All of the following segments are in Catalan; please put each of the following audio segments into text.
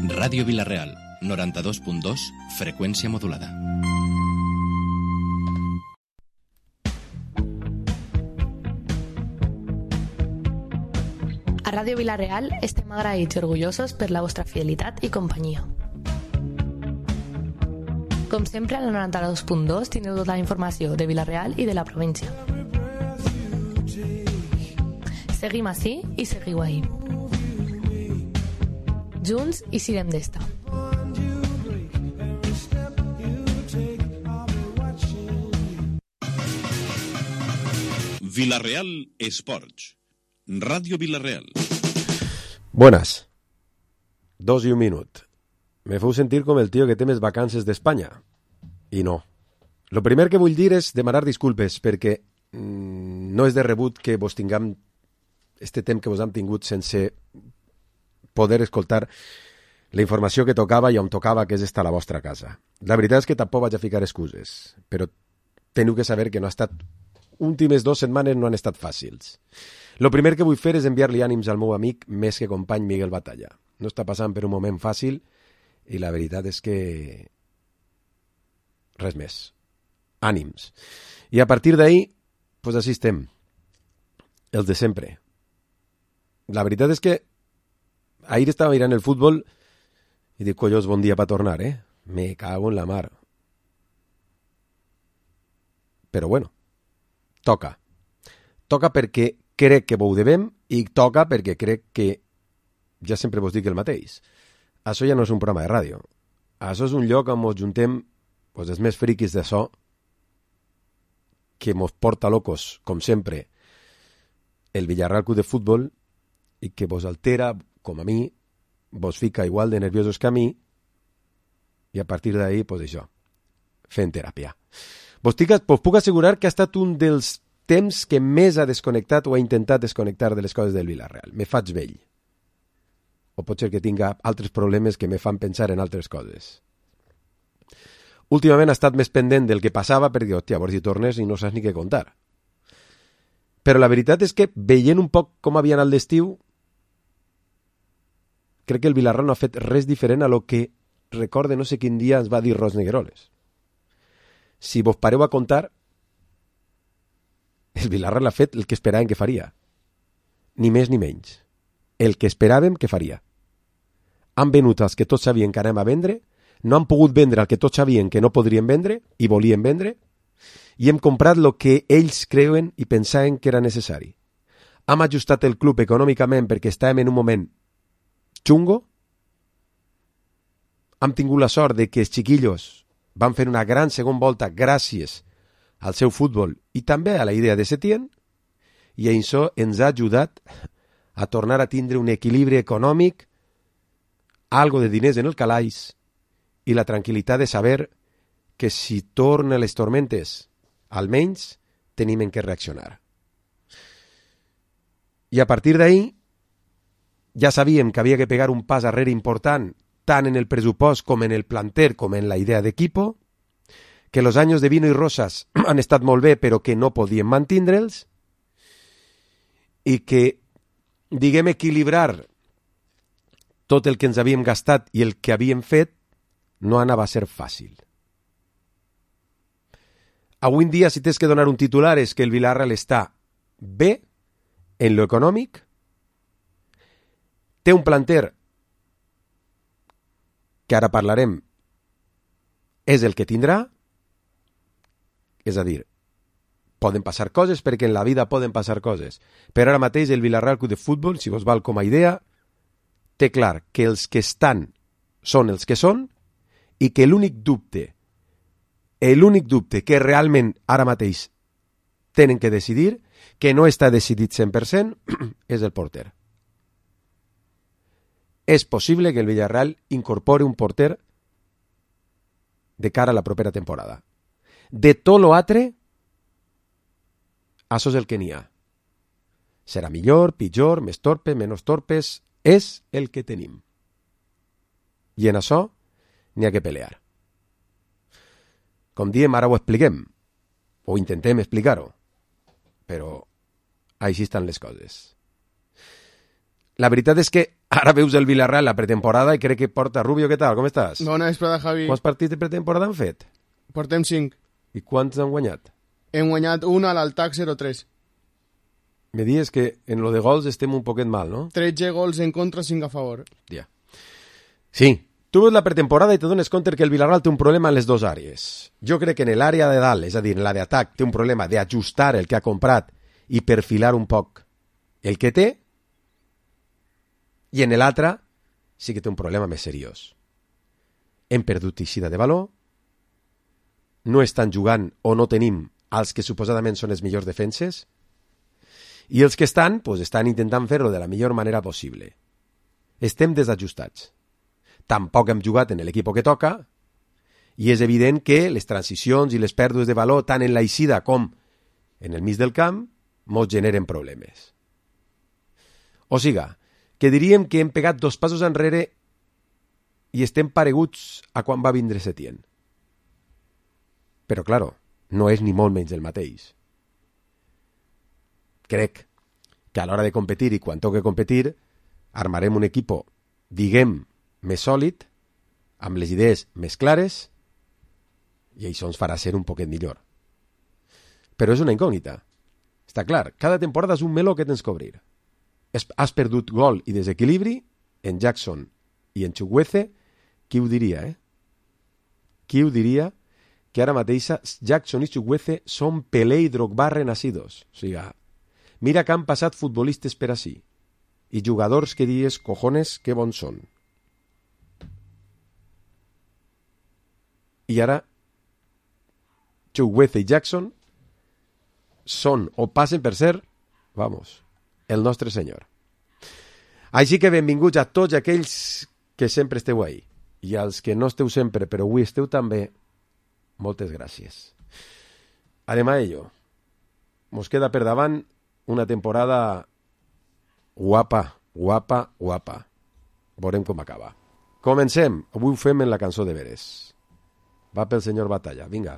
Ràdio Vila-real, 92.2, freqüència modulada. A Ràdio Vila-real estem agraïts i orgullosos per la vostra fidelitat i companyia. Com sempre, al 92.2 teniu tota la informació de Vila-real i de la província. Seguim ací i seguiu ahí. Junts i sirem d'esta. Vila-real Esports. Radio Vila-real. Buenas. 2 y 1 minut. Me feu sentir com el tio que té més vacances d'Espanya. I no. Lo primer que vull dir és demanar disculpes, perquè no és de rebut que vos tinguem este temps que vos hem tingut sense poder escoltar la informació que tocava i on tocava, que és estar a la vostra casa. La veritat és que tampoc vaig a ficar excuses, però teniu que saber que no ha estat... Últimes 2 setmanes no han estat fàcils. Lo primer que vull fer és enviar-li ànims al meu amic més que company Miguel Batalla. No està passant per un moment fàcil i la veritat és que... res més. Ànims. I a partir d'ahir, pues així estem. Els de sempre. La veritat és que ahir estava mirant el futbol i dic, collons, bon dia per tornar, eh? Me cago en la mar. Però bueno, toca. Toca perquè crec que ho devem i toca perquè crec que ja sempre vos dic el mateix. Això ja no és un programa de ràdio. Això és un lloc on ens juntem pues, els més friquis de so que mos porta locos, com sempre, el Villarreal Club de Futbol i que vos altera, com a mi, vos fica igual de nerviosos que a mi i a partir d'ahir, pues això, fent teràpia. Vos puc assegurar que ha estat un dels temps que més ha desconnectat o ha intentat desconnectar de les coses del Villarreal. Me faig vell. O pot ser que tinga altres problemes que me fan pensar en altres coses. Últimament ha estat més pendent del que passava perquè, hòstia, a veure si tornes i no saps ni què contar. Però la veritat és que, veient un poc com havia anat l'estiu, crec que el Villarreal no ha fet res diferent a lo que recorde no sé quin dia ens va dir Ros Negueroles. Si vos pareu a contar, el Villarreal ha fet el que esperàvem que faria. Ni més ni menys. El que esperàvem que faria. Han venut els que tots sabien que anem a vendre, no han pogut vendre el que tots sabien que no podrien vendre i volien vendre, i hem comprat el que ells creuen i pensaven que era necessari. Hem ajustat el club econòmicament perquè estàvem en un moment xungo, hem tingut la sort de que els xiquillos van fer una gran segona volta gràcies al seu futbol i també a la idea de Setién, i això ens ha ajudat a tornar a tindre un equilibri econòmic, algo de diners en el calaix i la tranquil·litat de saber que si tornen les tormentes, almenys tenim en què reaccionar. I a partir d'ahir ja sabíem que havia que pegar un pas arrere important tant en el pressupost com en el planter com en la idea d'equipo, que los años de vino y rosas han estat molt bé però que no podien mantindre'ls i que, diguem, equilibrar tot el que ens havíem gastat i el que havíem fet no anava a ser fàcil. Avui en dia, si tens que donar un titular, és que el Villarreal està bé en lo econòmic, té un planter que ara parlarem és el que tindrà, és a dir, poden passar coses perquè en la vida poden passar coses, però ara mateix el Villarreal Club de Futbol, si vos val com a idea, té clar que els que estan són els que són i que l'únic dubte que realment ara mateix tenen que decidir, que no està decidit 100%, és el porter. És possible que el Villarreal incorpore un porter de cara a la propera temporada. De tot l'altre, això és el que n'hi ha. Serà millor, pitjor, més torpe, menys torpes, és el que tenim. I en això n'hi ha que pelear. Com diem, ara ho expliquem, o intentem explicar-ho, però així estan les coses. La veritat és que Ara veus el Villarreal la pretemporada i crec que porta Rubio. Què tal? Com estàs? Bona vesprada, Javi. Quants partits de pretemporada han fet? Portem 5. I quants han guanyat? Hem guanyat un a l'Altac 0-3. Me dius que en lo de gols estem un poquet mal, no? 13 gols en contra, 5 a favor. Ja. Sí, tu veus la pretemporada i te dones compte que el Villarreal té un problema en les dues àrees. Jo crec que en l'àrea de dalt, és a dir, en l'àrea d'atac, té un problema d'ajustar el que ha comprat i perfilar un poc el que té, i en l'altre sí que té un problema més seriós. Hem perdut eixida de valor, no estan jugant o no tenim els que suposadament són els millors defenses, i els que estan, pues, estan intentant fer-ho de la millor manera possible. Estem desajustats. Tampoc hem jugat en l'equip que toca, i és evident que les transicions i les pèrdues de valor, tant en l'eixida com en el mig del camp, mos generen problemes. O siga, que diríem que hem pegat 2 passos enrere i estem pareguts a quan va vindre Setién. Però, claro, no és ni molt menys el mateix. Crec que a l'hora de competir i quan toque competir armarem un equip, diguem, més sòlid, amb les idees més clares, i això ens farà ser un poquet millor. Però és una incògnita. Està clar, cada temporada és un meló que tens que obrir. Has perdut gol i desequilibri en Jackson i en Chukwueze. Qui ho diria, Qui ho diria que ara mateixa Jackson i Chukwueze són Pelé i Drogba renacidos? O sigui, mira que han passat futbolistes per ací i jugadors que dius, cojones, que bons són. I ara Chukwueze i Jackson són o passen per ser, vamos, el nostre senyor. Així que benvinguts a tots aquells que sempre esteu ahí, i als que no esteu sempre però avui esteu també, moltes gràcies. Anem a ello. Mos queda per davant una temporada guapa. Veurem com acaba. Comencem. Avui ho fem en la cançó de veres. Va pel senyor Batalla. Vinga.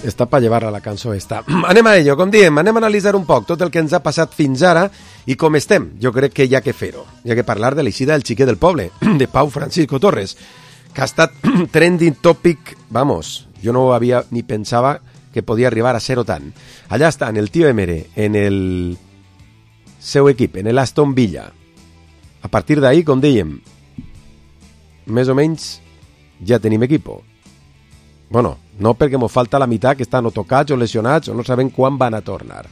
Està per llevar a la cançó esta. Anem a ello, com diem, anem a analitzar un poc tot el que ens ha passat fins ara i com estem. Jo crec que hi ha que fer-ho. Hi ha que parlar de l'eixida del xiquet del poble, de Pau Francisco Torres, que ha estat trending topic, vamos, jo no havia ni pensava que podia arribar a ser-ho tant. Allà està, en el tio Emere, en el seu equip, en l'Aston Villa. A partir d'ahir, com dèiem, més o menys ja tenim equipo. Bueno, no perquè mos falta la meitat que estan o tocats o lesionats o no sabem quan van a tornar.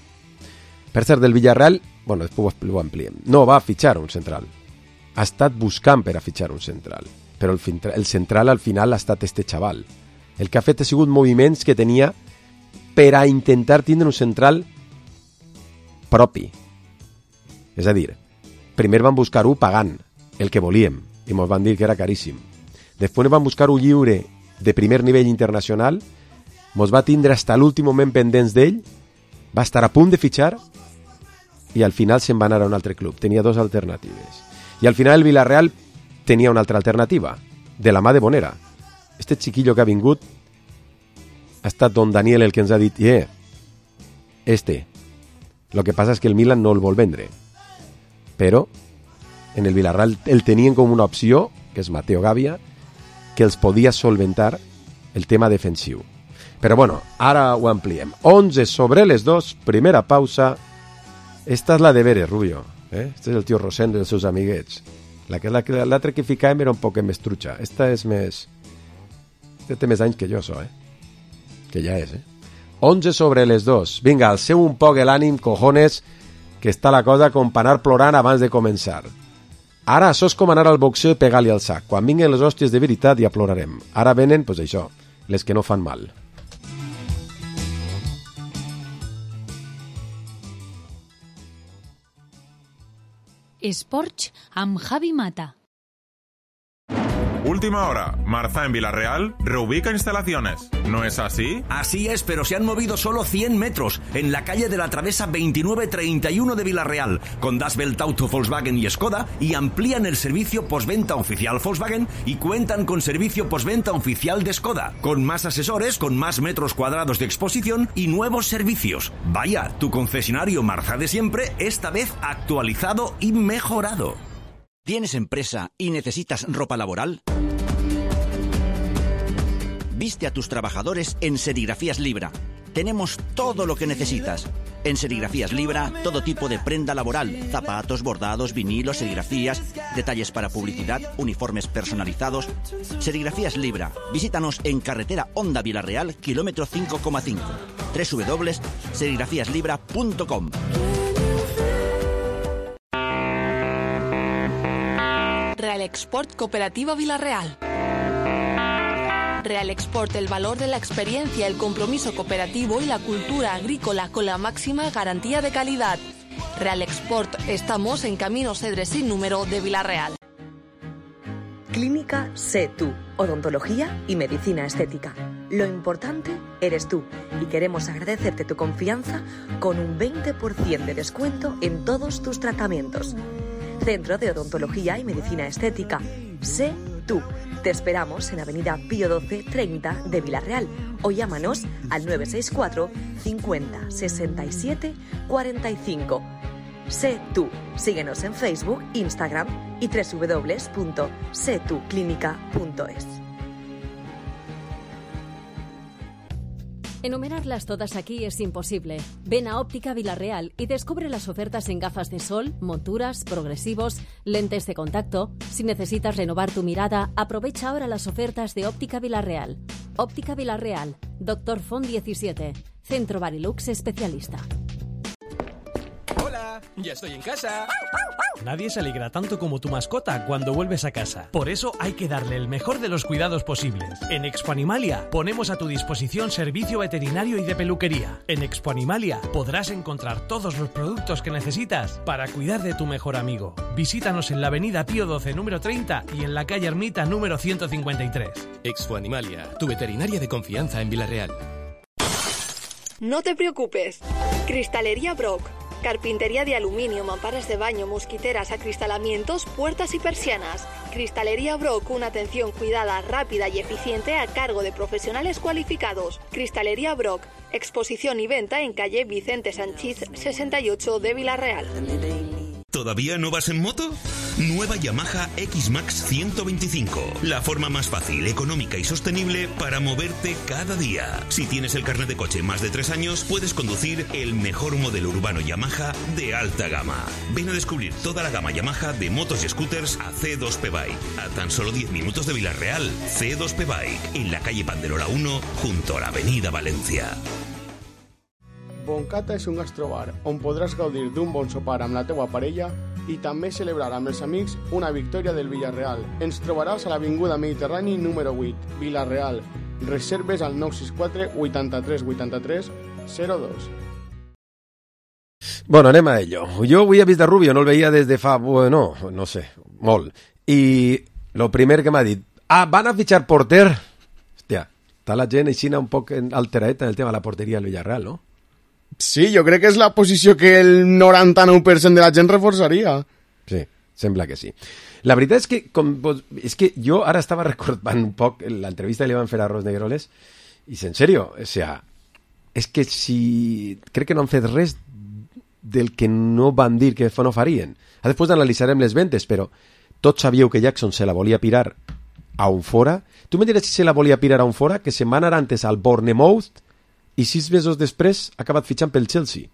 Per cert, del Villarreal, bueno, després ho ampliem. No va fitxar un central. ha estat buscant per a fitxar un central, però el central al final ha estat este xaval. El que ha fet ha sigut moviments que tenia per a intentar tindre un central propi. És a dir, primer van buscar-ho pagant el que volíem i ens van dir que era caríssim. Després van buscar-ho lliure de primer nivell internacional, ens va tindre fins a l'últim moment pendents d'ell, va estar a punt de fitxar i al final se'n va anar a un altre club. Tenia dos alternatives. I al final el Villarreal tenia una altra alternativa, de la mà de Bonera. Este chiquillo que ha vingut ha estat don Daniel el que ens ha dit Lo que passa és que el Milan no el vol vendre. Però en el Villarreal el tenien com una opció, que és Mateo Gavia, que els podia solventar el tema defensiu. Però bueno, ara ho ampliem. 11:02, primera pausa. Esta és la de veres, Rubio. Este és el tio Rosendo i els seus amiguets. L'altra que ficàvem era un poc més trucha. Esta és més... Este té més anys que jo, que ja és, 11:02. Vinga, alceu un poc l'ànim, cojones, que està la cosa com per anar plorant abans de començar. Ara això és com anar al boxeo i pegar-li al sac. Quan vinguin les hòsties de veritat ja plorarem. Ara venen, doncs això, les que no fan mal. Esports amb Javi Mata. Última hora, Marza en Villarreal reubica instalaciones. ¿No es así? Así es, pero se han movido solo 100 metros en la calle de la Travesa 2931 de Villarreal, con Das Welt Auto, Volkswagen y Skoda, y amplían el servicio postventa oficial Volkswagen y cuentan con servicio postventa oficial de Skoda, con más asesores, con más metros cuadrados de exposición y nuevos servicios. Vaya, tu concesionario Marza de siempre, esta vez actualizado y mejorado. ¿Tienes empresa y necesitas ropa laboral? Viste a tus trabajadores en Serigrafías Libra. Tenemos todo lo que necesitas. En Serigrafías Libra, todo tipo de prenda laboral, zapatos, bordados, vinilos, serigrafías, detalles para publicidad, uniformes personalizados. Serigrafías Libra. Visítanos en carretera Honda Villarreal, kilómetro 5,5. www.serigrafiaslibra.com. Real Export Cooperativa Villarreal. Real Export, el valor de la experiencia, el compromiso cooperativo y la cultura agrícola con la máxima garantía de calidad. Real Export, estamos en Camino Cedres sin número de Villarreal. Clínica Sé Tú, odontología y medicina estética. Lo importante eres tú y queremos agradecerte tu confianza con un 20% de descuento en todos tus tratamientos. Centro de Odontología y Medicina Estética. Sé Tú. Te esperamos en Avenida Pío XII 30 de Villarreal o llámanos al 964 50 67 45. Sé Tú. Síguenos en Facebook, Instagram y www.setuclinica.es. Enumerarlas todas aquí es imposible. Ven a Óptica Villarreal y descubre las ofertas en gafas de sol, monturas, progresivos, lentes de contacto. Si necesitas renovar tu mirada, aprovecha ahora las ofertas de Óptica Villarreal. Óptica Villarreal, Dr. Font 17, Centro Barilux Especialista. ¡Hola! ¡Ya estoy en casa! Nadie se alegra tanto como tu mascota cuando vuelves a casa. Por eso hay que darle el mejor de los cuidados posibles. En Expo Animalia ponemos a tu disposición servicio veterinario y de peluquería. En Expo Animalia podrás encontrar todos los productos que necesitas para cuidar de tu mejor amigo. Visítanos en la avenida Pío XII número 30 y en la calle Ermita número 153. Expo Animalia, tu veterinaria de confianza en Villarreal. No te preocupes. Cristalería Brock. Carpintería de aluminio, mamparas de baño, mosquiteras, acristalamientos, puertas y persianas. Cristalería Brock, una atención cuidada, rápida y eficiente a cargo de profesionales cualificados. Cristalería Brock, exposición y venta en calle Vicente Sanchís 68 de Villarreal. ¿Todavía no vas en moto? Nueva Yamaha X-Max 125. La forma más fácil, económica y sostenible para moverte cada día. Si tienes el carnet de coche más de 3 años, puedes conducir el mejor modelo urbano Yamaha de alta gama. Ven a descubrir toda la gama Yamaha de motos y scooters a C2P Bike. A tan solo 10 minutos de Villarreal, C2P Bike, en la calle Panderola 1, junto a la avenida Valencia. Boncata és un gastrobar on podràs gaudir d'un bon sopar amb la teua parella i també celebrar amb els amics una victòria del Villarreal. Ens trobaràs a l'Avinguda Mediterrani número 8, Villarreal. Reserves al 964 83 83 02. Bueno, anem a ello. Jo avui he vist de Rubio, no el veia des de fa, bueno, no sé, molt. I lo primer que m'ha dit, van a fitxar porter. Hòstia, està la gent així un poc alteradeta en el tema de la porteria del Villarreal, no? Sí, jo crec que és la posició que el 99% de la gent reforçaria. Sí, sembla que sí. La veritat és que, és que jo ara estava recordant un poc l'entrevista que li van fer a Ros Negroles i, en sèrio, o sea, és que si... crec que no han fet res del que no van dir que no farien. Després analitzarem les ventes, però tots sabíeu que Jackson se la volia pirar a un fora. Tu me diràs si se la volia pirar a un fora, que se'n va anar antes al Bournemouth i 6 mesos després ha acabat fitxant pel Chelsea.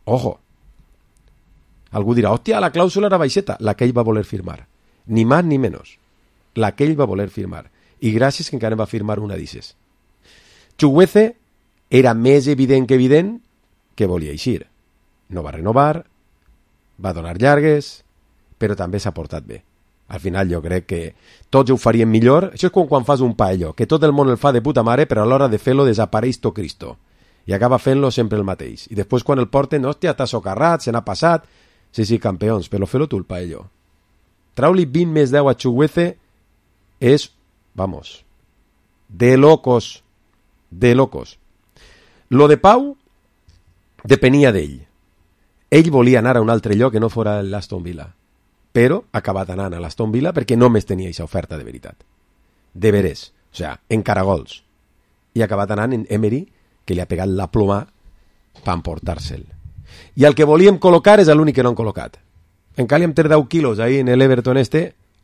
Ojo. Algú dirà, hòstia, la clàusula era baixeta. La que ell va voler firmar. Ni més ni menys. La que ell va voler firmar. I gràcies que encara va firmar una d'ixes. Chukwueze era més evident que evident que volia eixir. No va renovar, va donar llargues, però també s'ha portat bé. Al final jo crec que tots ho farien millor. Això és com quan fas un paello, que tot el món el fa de puta mare, però a l'hora de fer-lo desapareix tot Cristo. I acaba fent-lo sempre el mateix. I després quan el porten, hòstia, t'ha socarrat, se n'ha passat. Sí, campions, però fes-lo tu el paello. Trau-li 20 més 10 a Chukwueze és, vamos, de locos. De locos. Lo de Pau depenia d'ell. Ell volia anar a un altre lloc que no fora l'Aston Villa, però ha acabat anant a l'Aston Villa perquè només tenia aquesta oferta de veritat. De veres, o sigui, en caragols. I ha acabat anant en Emery, que li ha pegat la ploma per emportar-se'l. I el que volíem col·locar és l'únic que no han col·locat. Encara li hem tret 10 quilos ahí en l'Everton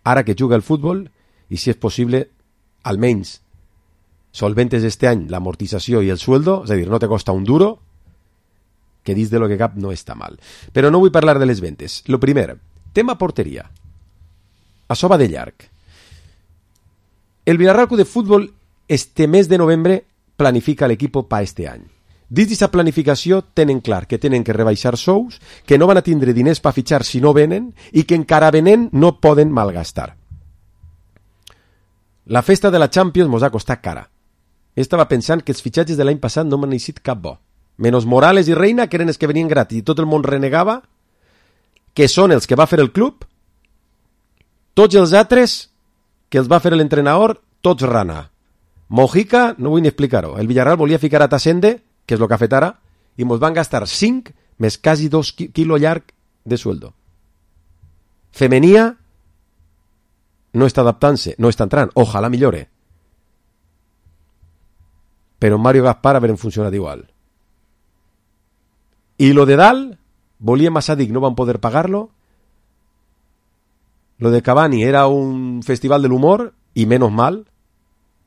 ara que juga el futbol, i si és possible, almenys solventes este any l'amortització i el sueldo, és a dir, no te costa un duro, que dins de lo que cap no està mal. Però no vull parlar de les ventes. Lo primer, tema porteria. Això va de llarg. El Villarreal Club de Futbol este mes de novembre planifica l'equip per este any. Dins d'aquesta planificació tenen clar que tenen que rebaixar sous, que no van a tindre diners per fitxar si no venen i que encara venent no poden malgastar. La festa de la Champions mos ha costat cara. Estava pensant que els fitxatges de l'any passat no m'han eixit cap bo. Menos Morales i Reina, que eren els que venien gratis i tot el món renegava, que són els que va fer el club, tots els altres que els va fer l'entrenador, tots rana. Mojica, no vull ni explicar-ho. El Villarreal volia ficar a Tassende, que és el que ha fet ara, i mos van gastar 5 més quasi 2 quilos llarg de sueldo. Femenia no està adaptant-se, no està entrant, ojalà millore. Però Mario Gaspar haveren funcionat igual. I lo de dalt, volíem a Sadik, no van poder pagar-lo. Lo de Cavani era un festival de l'humor, i menos mal,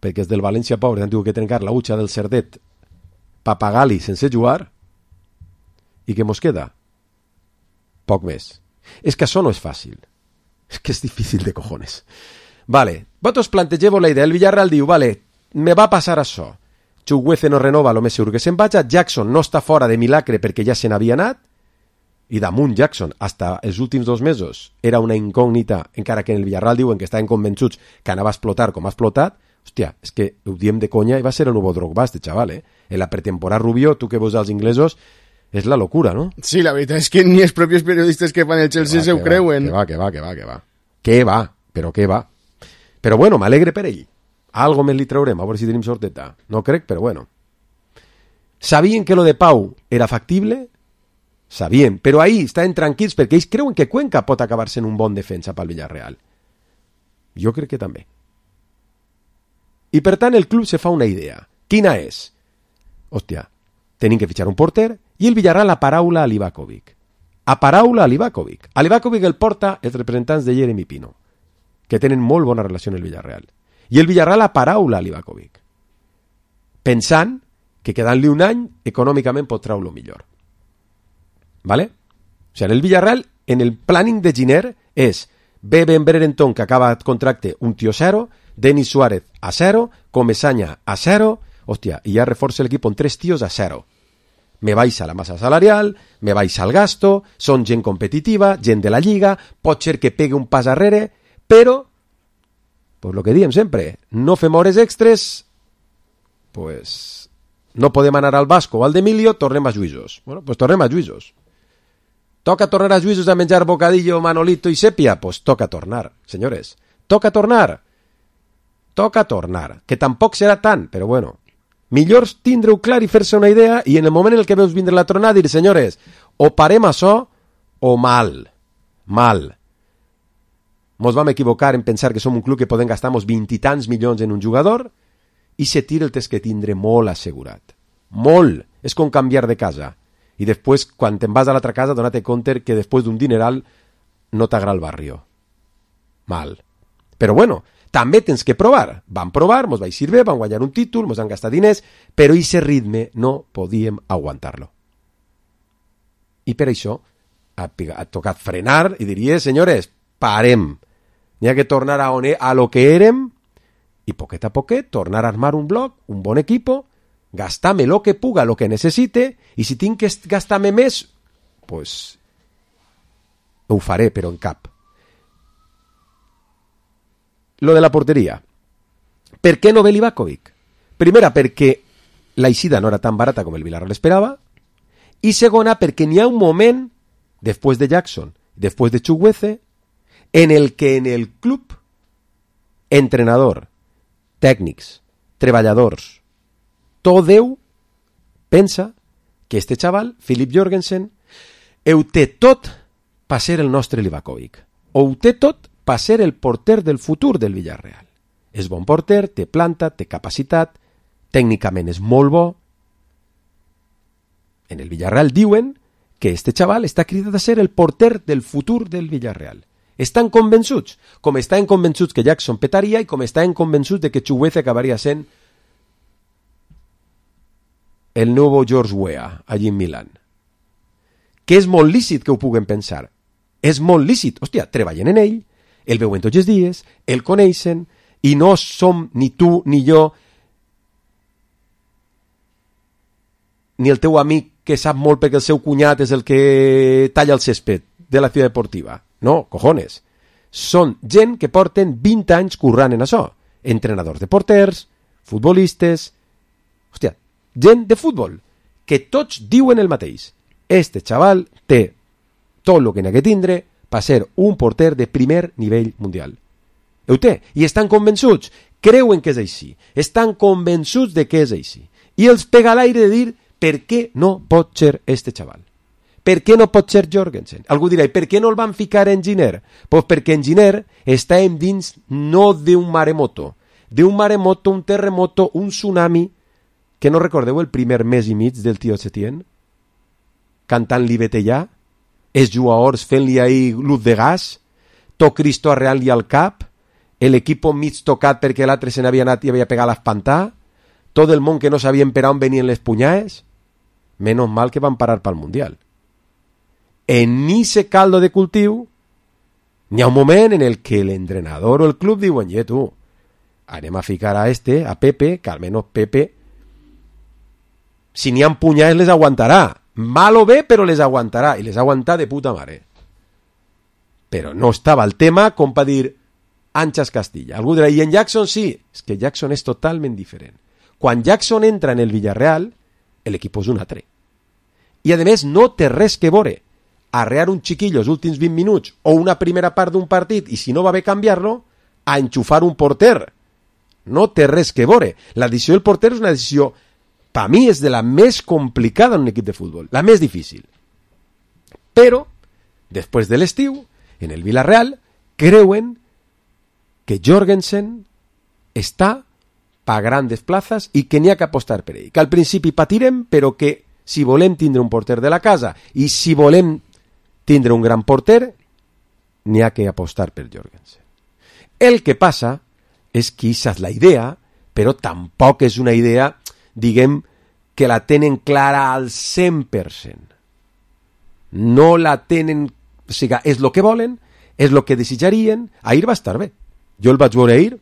perquè és del València pobre, han tingut que trencar la utxa del Cerdet per pagar-li sense jugar, i què mos queda? Poc més. És que això no és fàcil. És que és difícil de cojones. Vale, vosaltres plantegeu la idea. El Villarreal diu, vale, me va passar això. Chukwueze no renova, lo més segur que se'n vaja. Jackson no està fora de milagre perquè ja se n'havia anat. I damunt Jackson, hasta els últims 2 mesos, era una incògnita, encara que en el Villarreal diuen que estaven convençuts que anava a explotar com ha explotat. Hòstia, és que ho diem de conya i va ser el nou Drogba, este chaval, En la pretemporada Rubio, tu que veus als inglesos, és la locura, no? Sí, la veritat és que ni els propis periodistes que fan el Chelsea se ho creuen. Que va, però que va. Però bueno, m'alegre per ell. Algo més li traurem, a veure si tenim sorteta. No crec, però bueno. Sabien que lo de Pau era factible? Sabien, però ahí estaven tranquils perquè ells creuen que Cuenca pot acabar sent un bon defensa pel Villarreal. Jo crec que també. I per tant el club se fa una idea. Quina és? Hòstia, tenim que fitxar un porter i el Villarreal aparaula a Livakovic. Aparaula a Livakovic. A Livakovic el porta els representants de Jeremy Pino, que tenen molt bona relació amb el Villarreal. I el Villarreal aparaula a Livakovic, pensant que quedant-li un any econòmicament pot treure-lo millor. ¿Vale? O sigui, en el Villarreal, en el planning de Giner és Ben Brereton, que acaba el contracte, un tio 0, Denis Suárez a 0, Comesaña a 0, hòstia, i ja reforça l'equip amb 3 tios a 0. me baixa la massa salarial, me baixa el gasto, són gent competitiva, gent de la lliga, pot ser que pegue un pas arrere, però, pues lo que diem sempre, no fem hores extres, pues no podem anar al Vasco o al d'Emilio, tornem a Lluïsos. Bueno, pues tornem a Lluïsos. Toca tornar a Lluïsos a menjar bocadillo, manolito i sèpia? Pues toca tornar, senyores. Toca tornar. Toca tornar. Que tampoc serà tant, però bueno. Millor tindre-ho clar i fer-se una idea i en el moment en el que veus vindre la tronada dir, senyores, o parem això o mal. Mal. Mos vam equivocar en pensar que som un club que podem gastar-nos 20 i tants milions en un jugador i se tira el tens que tindre molt assegurat. Molt. És com canviar de casa. I després, quan te'n vas a l'altra casa, dona-te compte que després d'un dineral no t'agrada el barrio. Mal. Però bueno, també tens que provar. Vam provar, mos va eixir bé, vam guanyar un títol, mos han gastat diners, però aquest ritme no podíem aguantar-lo. I per això ha tocat frenar i diria, senyores, parem. N'hi ha que tornar a lo que érem i poquet a poquet tornar a armar un bloc, un bon equipo, gastar-me lo que puga, lo que necessite, i si tinc que gastar-me més, pues ho faré, però en cap. Lo de la porteria. Per què no ve Livakovic? Primera, perquè l'eixida no era tan barata com el Villarreal esperava, i segona, perquè n'hi ha un moment, després de Jackson, després de Chukwueze, en el que en el club, entrenador, tècnics, treballadors, tot Déu pensa que este xaval, Filip Jorgensen, ho té tot per ser el nostre Livakovic. Ho té tot per ser el porter del futur del Villarreal. És bon porter, té planta, té capacitat, tècnicament és molt bo. En el Villarreal diuen que este xaval està cridat a ser el porter del futur del Villarreal. Estan convençuts, com estan convençuts que Jackson petaria i com estan convençuts de que Chukwueze acabaria sent el nou George Weah allí en Milan. Que és molt lícit que ho puguen pensar. És molt lícit. Hòstia, treballen en ell, el veuen tots els dies, el coneixen, i no som ni tu ni jo ni el teu amic que sap molt perquè el seu cunyat és el que talla el césped de la ciutat deportiva. No, cojones. Són gent que porten 20 anys currant en això. Entrenadors de porters, futbolistes... Hòstia, gent de futbol, que tots diuen el mateix. Este xaval té tot el que n'ha que tindre per ser un porter de primer nivell mundial. Ho té, i estan convençuts, creuen que és així, estan convençuts de que és així. I els pega a l'aire de dir per què no pot ser este xaval. Per què no pot ser Jorgensen? Algú dirà, per què no el van ficar en Giner? Pues perquè en Giner estàvem dins no d'un maremoto, un terremoto, un tsunami, que no recordeu el primer mes i mig del tio Setien? Cantant l'Ibetellà, els jugadors fent-li ahí luz de gas, tot Cristo arreant-li al cap, l'equip mig tocat perquè l'altre se n'havia anat i havia pegat l'espantà, tot el món que no sabien per on venien les punyades. Menos mal que van parar pel Mundial. En ese caldo de cultiu n'hi ha un moment en el que l'entrenador o el club diuen, tu, anem a ficar a Pepe, que almenys Pepe, si n'hi ha punyades les aguantarà. Mal o bé, però les aguantarà, i les aguantarà de puta mare. Però no estava el tema com per dir Anxas Castilla. Algú dirà, i en Jackson sí. És que Jackson és totalment diferent. Quan Jackson entra en el Villarreal, l'equip és un altre. I a més no té res que veure arrear un xiquillo els últims 20 minuts o una primera part d'un partit i si no va bé canviar-lo, a enxufar un porter. No té res que veure. La decisió del porter és una decisió, per mi, és de la més complicada en un equip de futbol, la més difícil. Però, després de l'estiu, en el Villarreal, creuen que Jorgensen està per grandes plazas i que n'hi ha que apostar per ell. Que al principi patirem, però que si volem tindre un porter de la casa i si volem tindre un gran porter, n'hi ha que apostar per Jorgensen. El que passa és que aquesta és la idea, però tampoc és una idea, diguem, que la tenen clara al 100%. No la tenen... O sigui, és el que volen, és el que desitjarien. Ahir va estar bé. Jo el vaig veure ahir.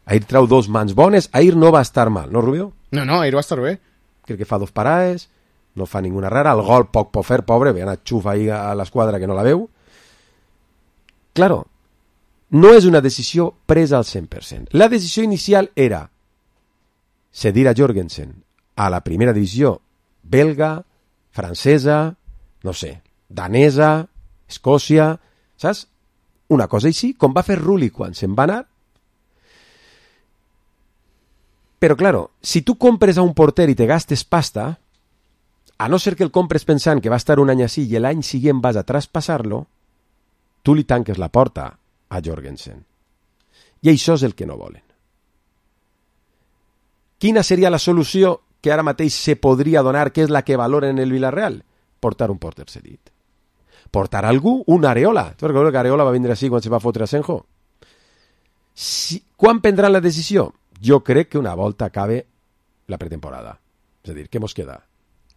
Ahir trau 2 mans bones. Ahir no va estar mal, no, Rubio? No, ahir va estar bé. Crec que fa 2 parades. no fa ninguna rara, el gol poc pot fer, pobre, ve anar xufa ahí a l'esquadra que no la veu. Claro, no és una decisió presa al 100%. La decisió inicial era cedir a Jorgensen a la primera divisió belga, francesa, no sé, danesa, Escòcia, saps? Una cosa així, com va fer Rulli quan se'n va anar. Però, claro, si tu compres a un porter i te gastes pasta, a no ser que el compres pensant que va estar un any així i l'any següent vas a traspassar-lo, tu li tanques la porta a Jorgensen. I això és el que no volen. Quina seria la solució que ara mateix se podria donar, que és la que valoren en el Villarreal? Portar un porter cedit. Portar algú, un Areola. Tu recordes que Areola va vindre així quan se va fotre a Senjo? Quan prendran la decisió? Jo crec que una volta acabe la pretemporada. És a dir, què mos queda?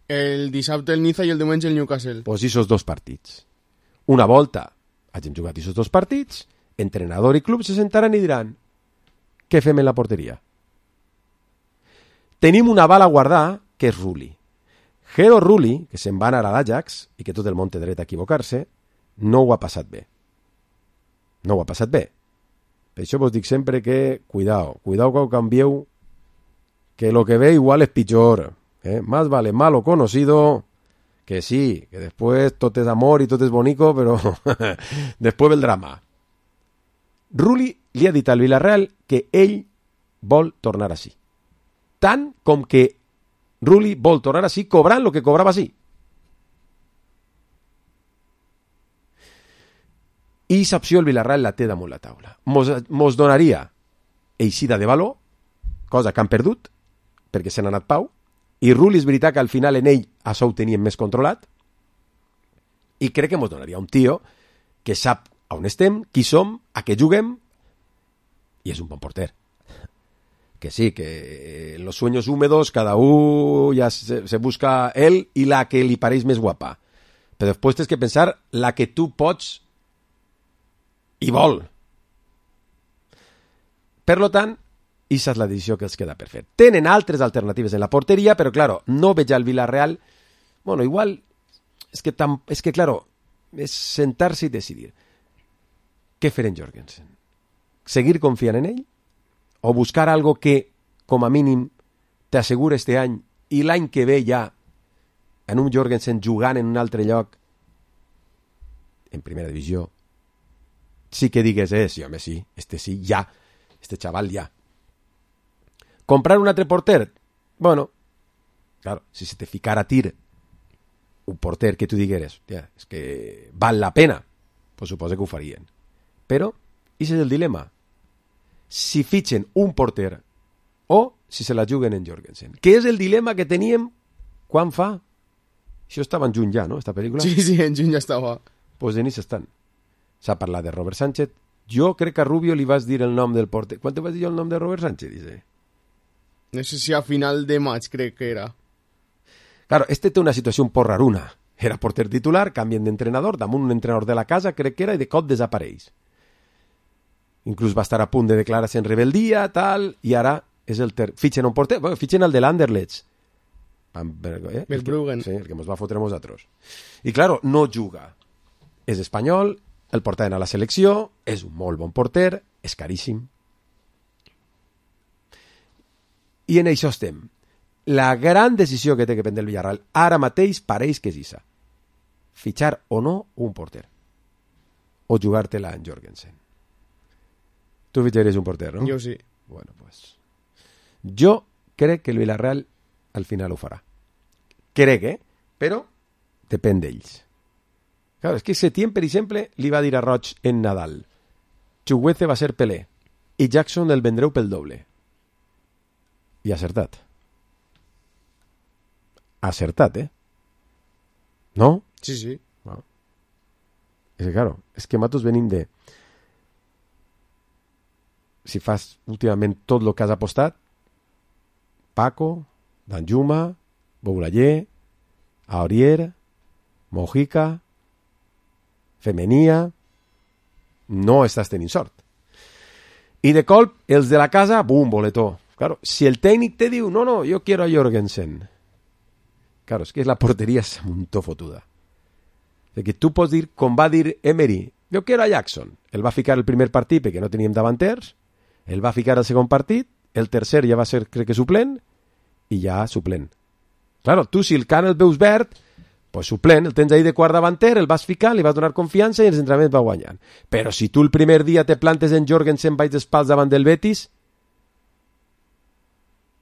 El dissabte el Niza i el diumenge el Newcastle. Pues esos dos partits. Una volta hagin jugat esos dos partits, entrenador i club se sentaran i diran què fem en la porteria? Tenim una bala a guardar, que és Rulli. Gero Rulli, que se'n va anar a l'Ajax, i que tot el món té dret a equivocar-se, no ho ha passat bé. No ho ha passat bé. Per això vos dic sempre que, cuidao quan ho canvieu, que lo que ve igual és pitjor. Más vale malo conocido, que sí, que después tot és amor i tot és bonico, però després ve el drama. Rulli li ha dit al Villarreal que ell vol tornar així. Tant com que Rulli vol tornar així cobrant el que cobrava així. I aquesta opció el Villarreal la té damunt la taula. Mos donaria eixida de valor, cosa que han perdut, perquè se n'ha anat Pau, i Rulli és veritat que al final en ell això ho tenien més controlat, i crec que mos donaria un tio que sap on estem, qui som, a què juguem, i és un bon porter. Que sí, que en los sueños húmedos cada uno ya se busca él y la que li pareix més guapa. Però després tens que pensar la que tu pots i vol. Per lo tant, aquesta és la decisió que els queda per fer. Tenen altres alternatives en la porteria, però, claro, no veig al Villarreal... Bueno, igual... És que, claro, és sentar-se i decidir. Què fer en Jorgensen? Seguir confiant en ell? O buscar algo que, com a mínim, t'assegura este any i l'any que ve ja en un Jorgensen jugant en un altre lloc en primera divisió sí que digues, sí, home, sí, sí, ja, este chaval ja. Comprar un altre porter? Bueno, claro, si se te ficara a tir un porter que tu digueres, és que val la pena, pues suposo que ho farien. Però, aquest és el dilema. Si fitxen un porter o si se la juguen en Jorgensen. Que és el dilema que teníem quan fa... Això estava en juny ja, no?, esta pel·lícula? Sí, en juny ja estava. Pues en això estan. S'ha parlat de Robert Sánchez. Jo crec que a Rubio li vas dir el nom del porter. Quan te vas dir el nom de Robert Sánchez? Dice. No sé si a final de maig crec que era. Claro, este té una situació un poc raruna. Era porter titular, canvien d'entrenador, damunt un entrenador de la casa, crec que era, i de cop desapareix. Inclús va estar a punt de declarar-se en rebeldia, tal, i ara és el fitxen un porter, fitxen el de l'Anderlecht. Verbruggen. Sí, el que ens va fotre a nosaltres. I, claro, no juga. És espanyol, el portaven a la selecció, és un molt bon porter, és caríssim. I en això estem. La gran decisió que té que prendre el Villarreal ara mateix pareix que és issa. Fitxar o no un porter. O jugar-te-la en Jorgensen. Tu fitxaries un porter, no? Jo sí. Bueno, pues... Jo crec que el Villarreal al final ho farà. Crec, Però depèn d'ells. Claro, és que Setién, per exemple, li va dir a Roig en Nadal Chukwueze va ser Pelé i Jackson el vendreu pel doble. I acertat. Acertat, ¿No? Sí. Bueno. És que, claro, és que nosaltres venim de... Si fas últimament tot el que has apostat, Paco, Danjuma, Boulayer, Aurier, Mojica, Femenia, no estàs tenint sort. I de colp, els de la casa, bum, boletó. Claro, si el tècnic te diu, no, yo quiero a Jorgensen, Claro, és que la porteria és un to fotuda. Que tu pots dir, com va dir Emery, jo quiero a Jackson. El va ficar el primer partit perquè no teníem davanters, el va ficar el segon partit, el tercer ja va ser, crec que suplent, i ja suplent. Claro, tu si el camp el veus verd, pues suplent, el tens ahí de quart davanter, el vas ficar, li vas donar confiança i els entrenaments va guanyant. Però si tu el primer dia te plantes en Jorgensen baix d'espals davant del Betis,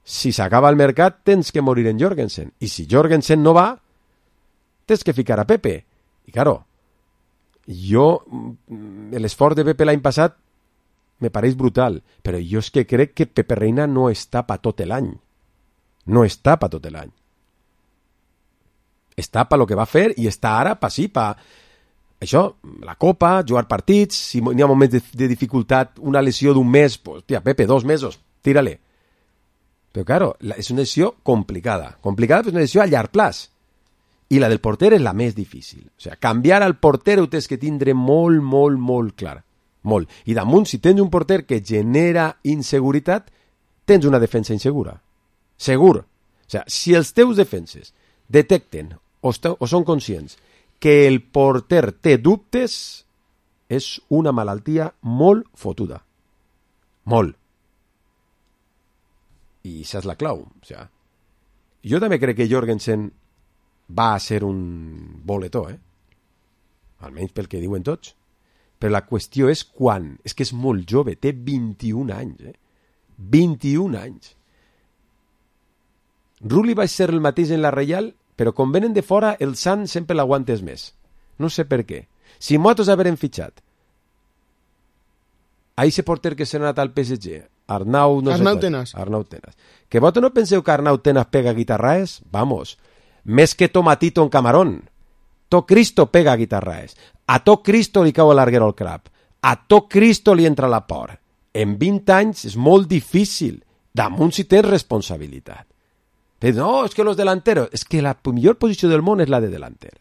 si s'acaba el mercat tens que morir en Jorgensen. I si Jorgensen no va, tens que ficar a Pepe. I claro, l'esforç de Pepe l'any passat me pareix brutal, però jo és que crec que Pepe Reina no està per tot l'any. No està per tot l'any. Està per lo que va fer i està ara per sí, per això, la Copa, jugar partits, si n'hi ha moments de dificultat, una lesió d'un mes, pues, tia, Pepe, 2 mesos, tírale. Però, claro, és una lesió complicada. Complicada, però és una lesió a llarg plaç. I la del porter és la més difícil. O sigui, canviar al porter ho tens que tindre molt, molt, molt clar. Molt. I damunt, si tens un porter que genera inseguretat, tens una defensa insegura. Segur. O sigui, si els teus defenses detecten o són conscients que el porter té dubtes, és una malaltia molt fotuda. Molt. I això és la clau. O sigui, jo també crec que Jorgensen va a ser un boletó, almenys pel que diuen tots. Però la qüestió és quan. És que és molt jove, té 21 anys. 21 anys. Rulli va ser el mateix en la Reial, però quan venen de fora el Sant sempre l'aguantes més. No sé per què. Si nosaltres haverem fitxat a ese porter que s'ha anat al PSG, Arnau Tenas. Que vosaltres no penseu que Arnau Tenas pega guitarraes? Vamos, més que Tomatito en Camarón. To Cristo pega guitarraes. A to Cristo li cau l'arguero al crap. A to Cristo li entra la por. En 20 anys és molt difícil. Damunt si tens responsabilitat. No, és que los delanteros... És que la millor posició del món és la de delanter.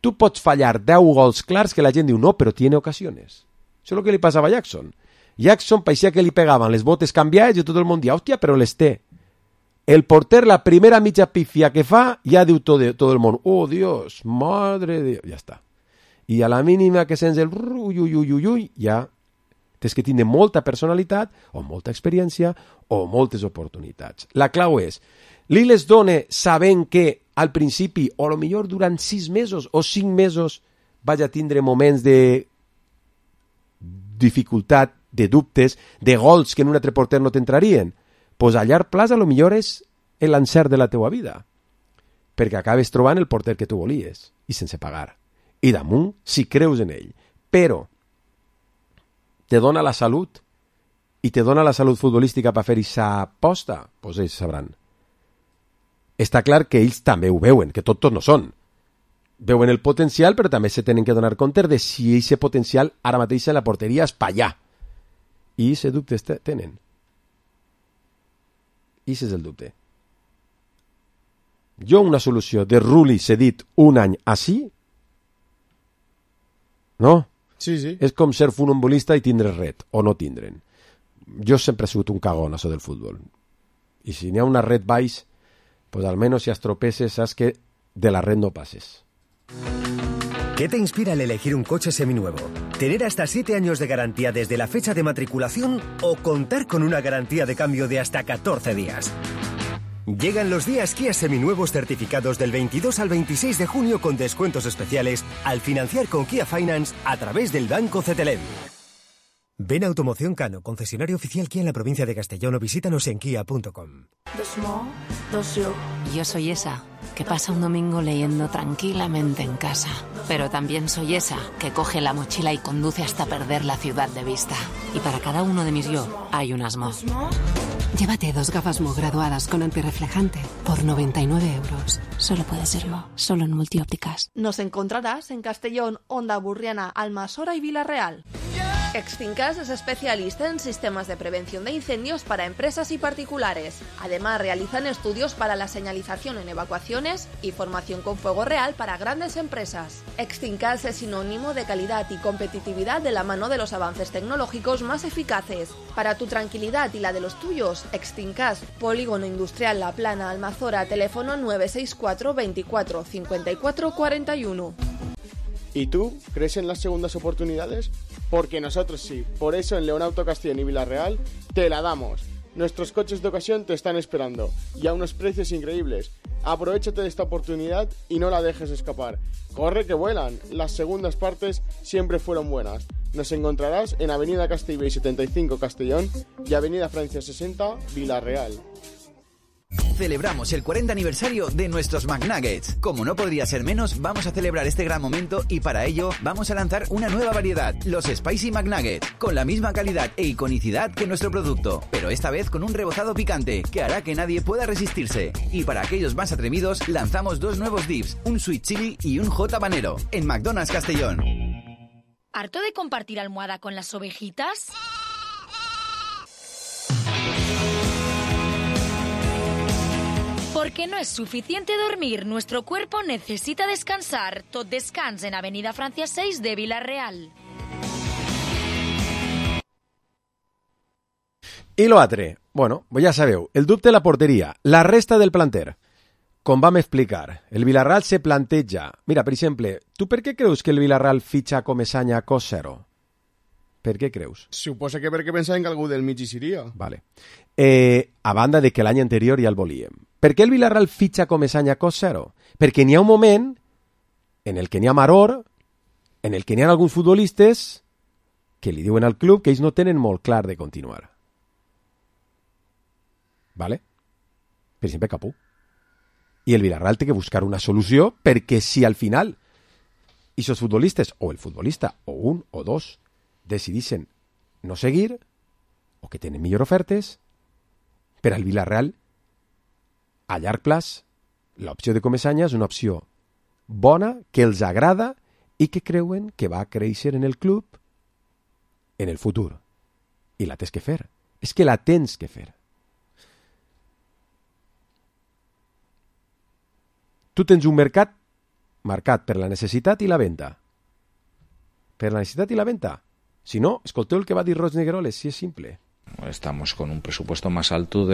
Tu pots fallar 10 gols clars que la gent diu no, però tiene ocasiones. Això és el que li passava a Jackson. Jackson parecía que li pegaven les botes canviades i tot el món dia, hòstia, però les té. El porter, la primera mitja pifia que fa, ja diu tot el món, oh, Dios, madre de Dios, ja està. I a la mínima que sents el ui, ja tens que tindre molta personalitat, o molta experiència, o moltes oportunitats. La clau és, li les dona sabent que al principi, o a lo millor durant 6 mesos o 5 mesos, vaig a tindre moments de dificultat, de dubtes, de gols que en un altre porter no t'entrarien. Pues a llarg plaç a lo millor és l'encert de la teua vida, perquè acabes trobant el porter que tu volies, i sense pagar. I damunt, si creus en ell, però te dona la salut, i te dona la salut futbolística per fer aquesta aposta, doncs ells sabran. Està clar que ells també ho veuen, que tots no són. Veuen el potencial, però també se tenen que donar compte de si aquest potencial ara mateix en la porteria és pa allà. I aquest dubte tenen. I aquest és el dubte. Jo una solució de Rulli cedit un any així, no? Sí. És com ser funambulista i tindre red, o no tindre'n. Jo sempre he sigut un cagón, això del futbol. I si n'hi ha una red baix, pues almenys si estropeces, saps que de la red no pases. ¿Qué te inspira al elegir un coche seminuevo? ¿Tener hasta 7 años de garantía desde la fecha de matriculación o contar con una garantía de cambio de hasta 14 días? Llegan los días Kia seminuevos certificados del 22 al 26 de junio con descuentos especiales al financiar con Kia Finance a través del Banco CTLM. Ven a Automoción Cano, concesionario oficial Kia en la provincia de Castellón, o visítanos en kia.com. Yo soy esa que pasa un domingo leyendo tranquilamente en casa. Pero también soy esa que coge la mochila y conduce hasta perder la ciudad de vista. Y para cada uno de mis yo hay un Asmo. Llévate 2 gafas Mo graduadas con antirreflejante por 99 euros. Solo puede ser Mo, solo en Multiópticas. Nos encontrarás en Castellón, Onda Burriana, Almasora y Vila Real. Extincas es especialista en sistemas de prevención de incendios para empresas y particulares. Además, realizan estudios para la señalización en evacuaciones y formación con fuego real para grandes empresas. Extincas es sinónimo de calidad y competitividad de la mano de los avances tecnológicos más eficaces. Para tu tranquilidad y la de los tuyos, Extincas, Polígono Industrial La Plana, Almazora, teléfono 964 24 54 41. ¿Y tú crees en las segundas oportunidades? Porque nosotros sí. Por eso en Leonauto Castellón y Villarreal te la damos. Nuestros coches de ocasión te están esperando y a unos precios increíbles. Aprovechate de esta oportunidad y no la dejes escapar. Corre que vuelan. Las segundas partes siempre fueron buenas. Nos encontrarás en Avenida Castellbell 75 Castellón y Avenida Francia 60 Villarreal. Celebramos el 40 aniversario de nuestros McNuggets. Como no podría ser menos, vamos a celebrar este gran momento y para ello vamos a lanzar una nueva variedad, los Spicy McNuggets, con la misma calidad e iconicidad que nuestro producto, pero esta vez con un rebozado picante que hará que nadie pueda resistirse. Y para aquellos más atrevidos, lanzamos 2 nuevos dips, un Sweet Chili y un Hot Habanero, en McDonald's Castellón. ¿Harto de compartir almohada con las ovejitas? Porque no es suficiente dormir, nuestro cuerpo necesita descansar. Tot Descans en Avenida Francia 6 de Villarreal. I l'altre, bueno, ja sabeu, el dubte de la porteria, la resta del planter. Com vam explicar, el Villarreal se planteja... Mira, per exemple, tu per què creus que el Villarreal fitxa Comesaña a cost zero? Per què creus? Suposa que perquè pensaven que algú del mig hi seria. Vale. A banda de que l'any anterior ja el volíem. Per què el Villarreal fitxa Comesaña a cost zero? Perquè n'hi ha un moment en el que n'hi ha maror, en el que n'hi ha alguns futbolistes que li diuen al club que ells no tenen molt clar de continuar. Vale? Per exemple, Capú. I el Villarreal té que buscar una solució perquè si al final aquests futbolistes, o el futbolista, o un o dos, decidissin no seguir, o que tenen millor ofertes, per al Villarreal, a llarg plaç, l'opció de Comesaña és una opció bona, que els agrada i que creuen que va créixer en el club en el futur. I la tens que fer. És que la tens que fer. Tu tens un mercat marcat per la necessitat i la venda. Per la necessitat i la venda. Si no, escolteu el que va dir Roig Negueroles, si és simple. Estamos con un presupuesto más alto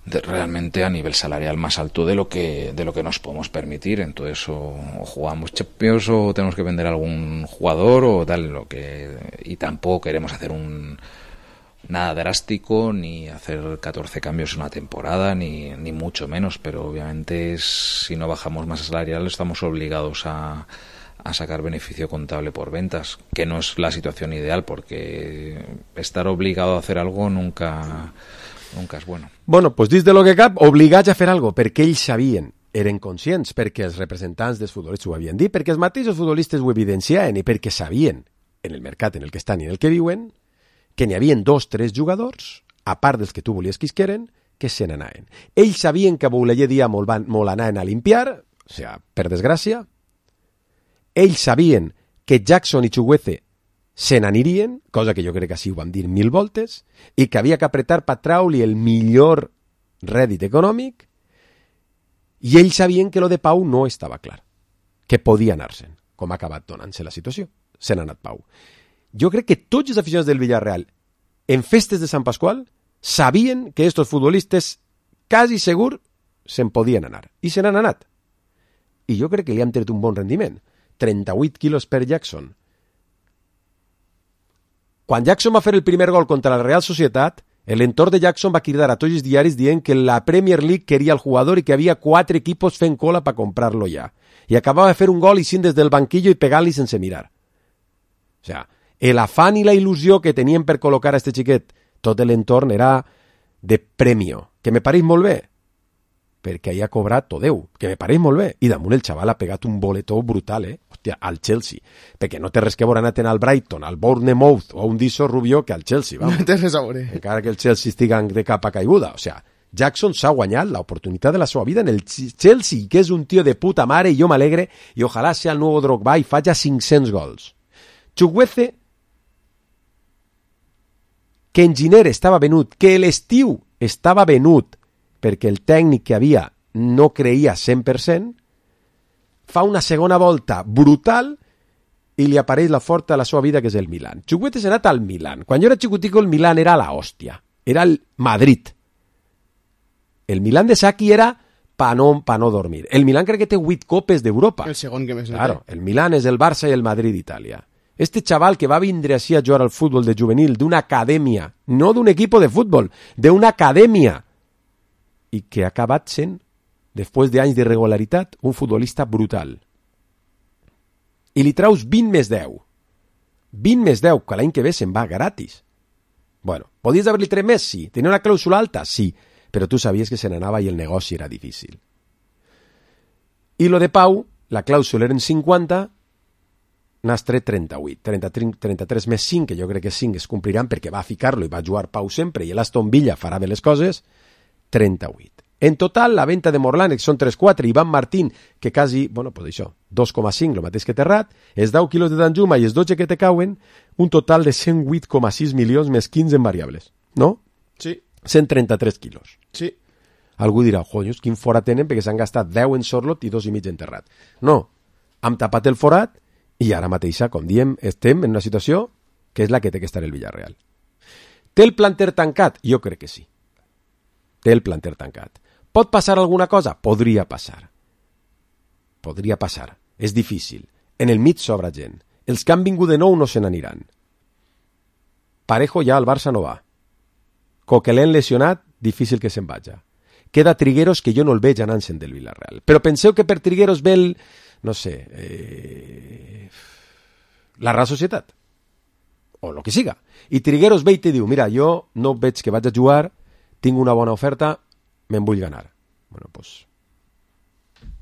realmente a nivel salarial más alto de lo que nos podemos permitir. Entonces o jugamos Champions o tenemos que vender a algún jugador o tal, y tampoco queremos hacer nada drástico ni hacer 14 cambios en una temporada ni mucho menos, pero obviamente si no bajamos masa salarial estamos obligados a sacar beneficio contable por ventas, que no es la situación ideal, porque estar obligado a hacer algo nunca és bueno. Bueno, doncs dins de lo que cap, obligats a fer algo, perquè ells sabien, eren conscients, perquè els representants dels futbolistes ho havien dit, perquè els mateixos futbolistes ho evidenciaven i perquè sabien, en el mercat en el que estan i en el que viuen, que n'hi havia 2 o 3 jugadors, a part dels que tu volies que isqueren, que se n'anaven. Ells sabien que a Bouleller dia molt anaven a limpiar, o sigui, per desgràcia. Ells sabien que Jackson i Chukwueze se n'anirien, cosa que jo crec que així ho vam dir 1000 voltes, i que havia que apretar per traure-li el millor rèdit econòmic, i ells sabien que lo de Pau no estava clar, que podia anar-se'n, com ha acabat donant-se la situació. Se n'ha anat Pau. Jo crec que tots els aficionats del Villarreal, en festes de Sant Pasqual, sabien que estos futbolistes quasi segur se'n podien anar, i se n'han anat. I jo crec que li han tret un bon rendiment. 38 quilos per Jackson. Quan Jackson va fer el primer gol contra la Real Societat, l'entorn de Jackson va cridar a tots els diaris dient que la Premier League queria el jugador i que havia 4 equipos fent cola per comprar-lo ja. I acabava de fer un gol i sin des del banquillo i pegant-li sense mirar. O sea, l'afán i la il·lusió que tenien per col·locar a este xiquet, tot l'entorn era de premio, que me pareix molt bé, perquè ahir ha cobrat tot Déu, que me pareix molt bé. I damunt el xaval ha pegat un boletó brutal, hòstia, al Chelsea. Perquè no té res que veure anar al Brighton, al Bournemouth o a un Diso Rubió que al Chelsea, vamos. No té res a veure. Encara que el Chelsea estigui de capa caiguda. O sea, Jackson s'ha guanyat l'oportunitat de la seva vida en el Chelsea, que és un tio de puta mare, i jo m'alegre, i ojalà sea el nou Drogba i faci 500 gols. Chukwueze, que en gener estava venut, que l'estiu estava venut perquè el tècnic que havia no creia 100%, fa una segona volta brutal i li apareix la forta de la seva vida, que és el Milan. Chukwueze s'ha anat al Milan. Quan jo era xicutico, el Milan era la hòstia. Era el Madrid. El Milan de Sacchi era pa no dormir. El Milan crec que té 8 copes d'Europa. El segon que més no Claro, el Milan és el Barça i el Madrid d'Itàlia. Este chaval que va vindre així a jugar al futbol de juvenil d'una acadèmia, no d'un equip de futbol, d'una acadèmia, i que ha acabat sent, després d'anys d'irregularitat, un futbolista brutal. I li traus 20 més 10. 20 més 10, que l'any que ve se'n va gratis. Bueno, podies haver-li tret més? Sí. Tenia una clàusula alta? Sí. Però tu sabies que se n'anava i el negoci era difícil. I lo de Pau, la clàusula eren 50, n'has tret 38. 33 més 5, que jo crec que 5 es compliran perquè va ficar-lo i va jugar Pau sempre i l'Aston Villa farà bé les coses, 38. En total, la venda de Morlanex són 3-4, Ivan Martín, que quasi, bueno, pues això, 2,5, el mateix que Terrat, els 10 quilos de Danjuma i els 12 que te cauen, un total de 108,6 milions més 15 en variables, no? Sí. 133 quilos. Sí. Algú dirà, jonyos, quin forat tenen perquè s'han gastat 10 en Sorlot i 2,5 en Terrat. No, hem tapat el forat i ara mateixa, com diem, estem en una situació que és la que té que estar el Villarreal. Té el planter tancat? Jo crec que sí. Té el planter tancat. Pot passar alguna cosa? Podria passar. Podria passar. És difícil. En el mig sobra gent. Els que han vingut de nou no se n'aniran. Parejo ja al Barça no va. Coquelin lesionat, difícil que se'n vaja. Queda Trigueros, que jo no el veig anant-se'n del Villarreal. Però penseu que per Trigueros ve el, no sé, la Real Societat. O el que siga. I Trigueros ve i te diu, mira, jo no veig que vaig a jugar, tinc una bona oferta, me'n vull ganar. Bueno, pues,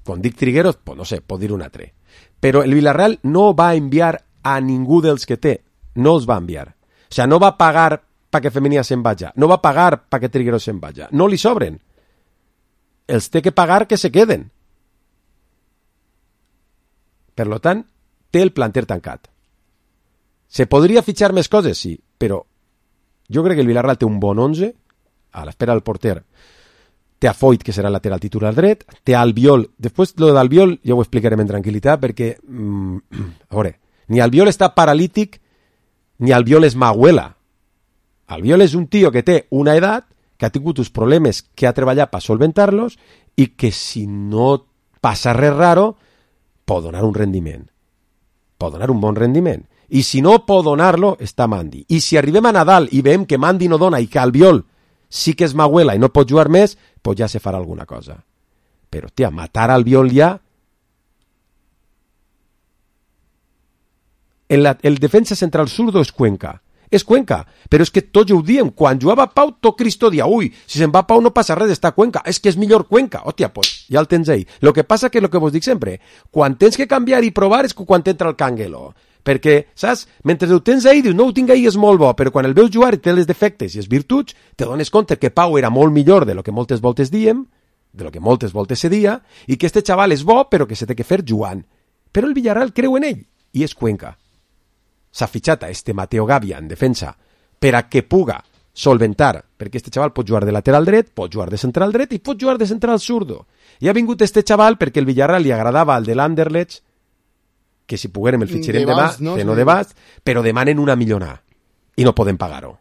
quan dic Trigueros, pues no sé, pot dir un altre. Però el Villarreal no va enviar a ningú dels que té. No els va enviar. O sigui, no va pagar perquè Femenia se'n vaja. No va pagar perquè Trigueros se'n vaja. No li sobren. Els té que pagar que se queden. Per lo tant, té el planter tancat. Se podria fitxar més coses? Sí, però jo crec que el Villarreal té un bon 11, a l'espera del porter. Té a Foyt, que serà el lateral titular dret, té a Albiol. Després, lo d'Albiol ja ho explicarem en tranquil·litat, perquè, a veure, ni Albiol està paralític, ni Albiol és Maguela. Albiol és un tio que té una edat, que ha tingut uns problemes que ha treballat per solventar-los i que si no passa res raro, pot donar un rendiment. Pot donar un bon rendiment. I si no pot donar-lo, està Mandi. I si arribem a Nadal i veiem que Mandi no dona i que Albiol sí que és Maguela i no pot jugar més, pues ja se farà alguna cosa. Però, tia, matar Albiol ja... El defensa central zurdo és Cuenca. És Cuenca, però és que tots ho diem. Quan jugava Pau, tot Cristo dia, ui, si se'n va Pau no passa res, està Cuenca. És que és millor Cuenca. Hòstia, pues ja el tens ahí. Lo que passa que lo que vos dic sempre, quan tens que canviar i provar és quan t'entra el Canguelo. Perquè, saps, mentre ho tens ahí, dius, no ho tinc ahí, és molt bo, però quan el veus jugar i té les defectes i els virtuts, te dones compte que Pau era molt millor de lo que moltes voltes diem, de lo que moltes voltes se dia, i que este xaval és bo, però que se té que fer jugant. Però el Villarreal creu en ell, i és Cuenca. S'ha fitxat a este Mateo Gavia en defensa per a que puga solventar, perquè este xaval pot jugar de lateral dret, pot jugar de central dret i pot jugar de central zurdo. I ha vingut este xaval perquè el Villarreal li agradava al de l'Anderlecht, que si poguérem el fitxerem demà, que no de bast, però demanen una millona i no poden pagar-ho.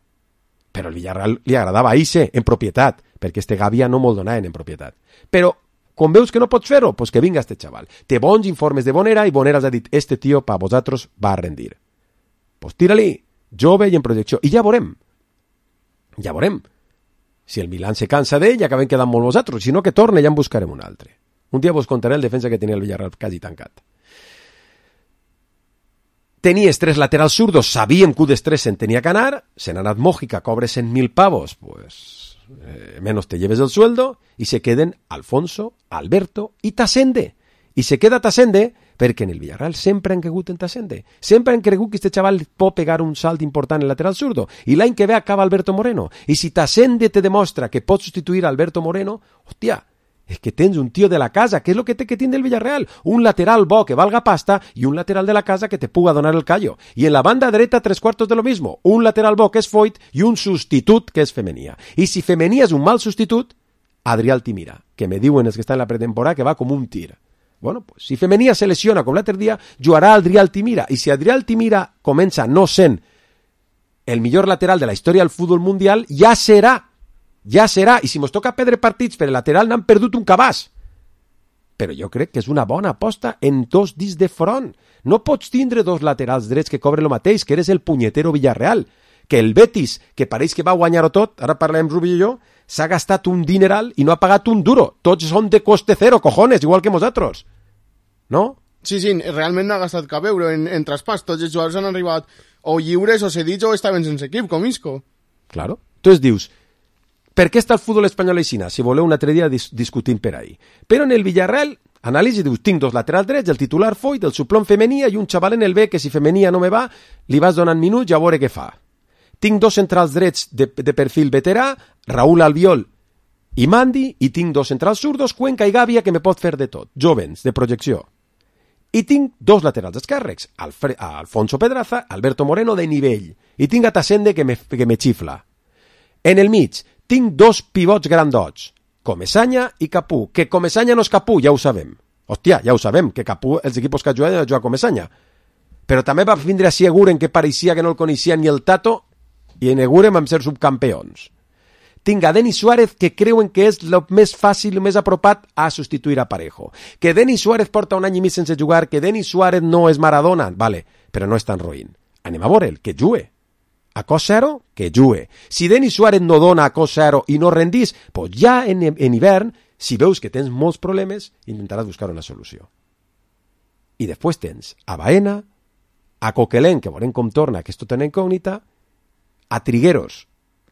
Però el Villarreal li agradava a Ise en propietat, perquè este Gavia no molt donaven en propietat. Però, quan veus que no pots fer-ho, pues que vinga este xaval. Té bons informes de Bonera i Bonera els ha dit, este tio pa vosaltres va a rendir. Pues tira-li, jove i en projecció. I ja veurem. Ja veurem. Si el Milan se cansa d'ell, ja acabem quedant molt vosaltres. Si no, que torne, ja en buscarem un altre. Un dia vos contaré el defensa que tenia el Villarreal quasi tancat. Tenies 3 laterals zurdos, sabíem que un dels 3 se'n tenia que anar, se n'ha anat Mójica, cobre 100.000 pavos, pues menos te lleves el sueldo, i se queden Alfonso, Alberto i Tasende. I se queda Tasende perquè en el Villarreal sempre han cregut en Tasende. Sempre han cregut que este xaval pot pegar un salt important en el lateral zurdo. I l'any que ve acaba Alberto Moreno. I si Tasende te demostra que pot substituir a Alberto Moreno, hòstia, és que tens un tio de la casa, que és el que té que tindre el Villarreal, un lateral bo que valga pasta i un lateral de la casa que te puga donar el callo. I en la banda dreta 3/4 de lo mismo, un lateral bo que és Foyt i un substitut que és Femenia. I si Femenia és un mal substitut, Adrià Altimira, que me diuen els que està en la pretemporada que va com un tir. Bueno, pues, si Femenia se lesiona com l'altre dia, jugarà Adrià Altimira. I si Adrià Altimira comença no sent el millor lateral de la història del futbol mundial, ja serà. I si mos toca perdre partits per el lateral n'han perdut un cabàs. Però jo crec que és una bona aposta en dos dits de front. No pots tindre dos laterals drets que cobren el mateix, que eres el punyetero Villarreal. Que el Betis, que pareix que va guanyar-ho tot, ara parlem Rubi i jo, s'ha gastat un dineral i no ha pagat un duro. Tots són de coste cero, cojones, igual que nosaltres. No? Sí, realment no ha gastat cap euro en traspàs. Tots els jugadors han arribat o lliures o cedits o estaven sense equip, com Isco. Claro. Entonces dius, per què està el futbol espanyol així? Si voleu un altre dia discutim per ahí. Però en el Villarreal, anàlisi, dius, tinc dos laterals drets, el titular Foyt, el suplent Femenia i un xaval en el B que si Femenia no me va, li vas donant minuts i a veure què fa. Tinc dos centrals drets de perfil veterà, Raúl Albiol i Mandi, i tinc dos centrals zurdos, Cuenca i Gàbia, que me pot fer de tot, jovens, de projecció. I tinc dos laterals esquerres, Alfonso Pedraza, Alberto Moreno de nivell, i tinc a Tassende que me xifla. En el mig, tinc dos pivots grandots, Comesaña i Capú, que Comesaña no és Capú, ja ho sabem. Hòstia, ja ho sabem, que Capú, els equipos que ha jugat Comesaña. Però també va vindre a Eguren, que pareixia que no el coneixia ni el Tato, i en Eguren vam ser subcampeons. Tinc a Denis Suárez, que creuen que és el més fàcil, el més apropat a substituir a Parejo. Que Denis Suárez porta un any i mig sense jugar, que Denis Suárez no és Maradona, vale, però no és tan roïn. Anem a veure'l, que jugue. A cost zero, que jugue. Si Denis Suárez no dona a cost zero i no rendís, pues ja en hivern, si veus que tens molts problemes, intentaràs buscar una solució. I després tens a Baena, a Coquelin, que veurem com torna, que és tota una incògnita, a Trigueros,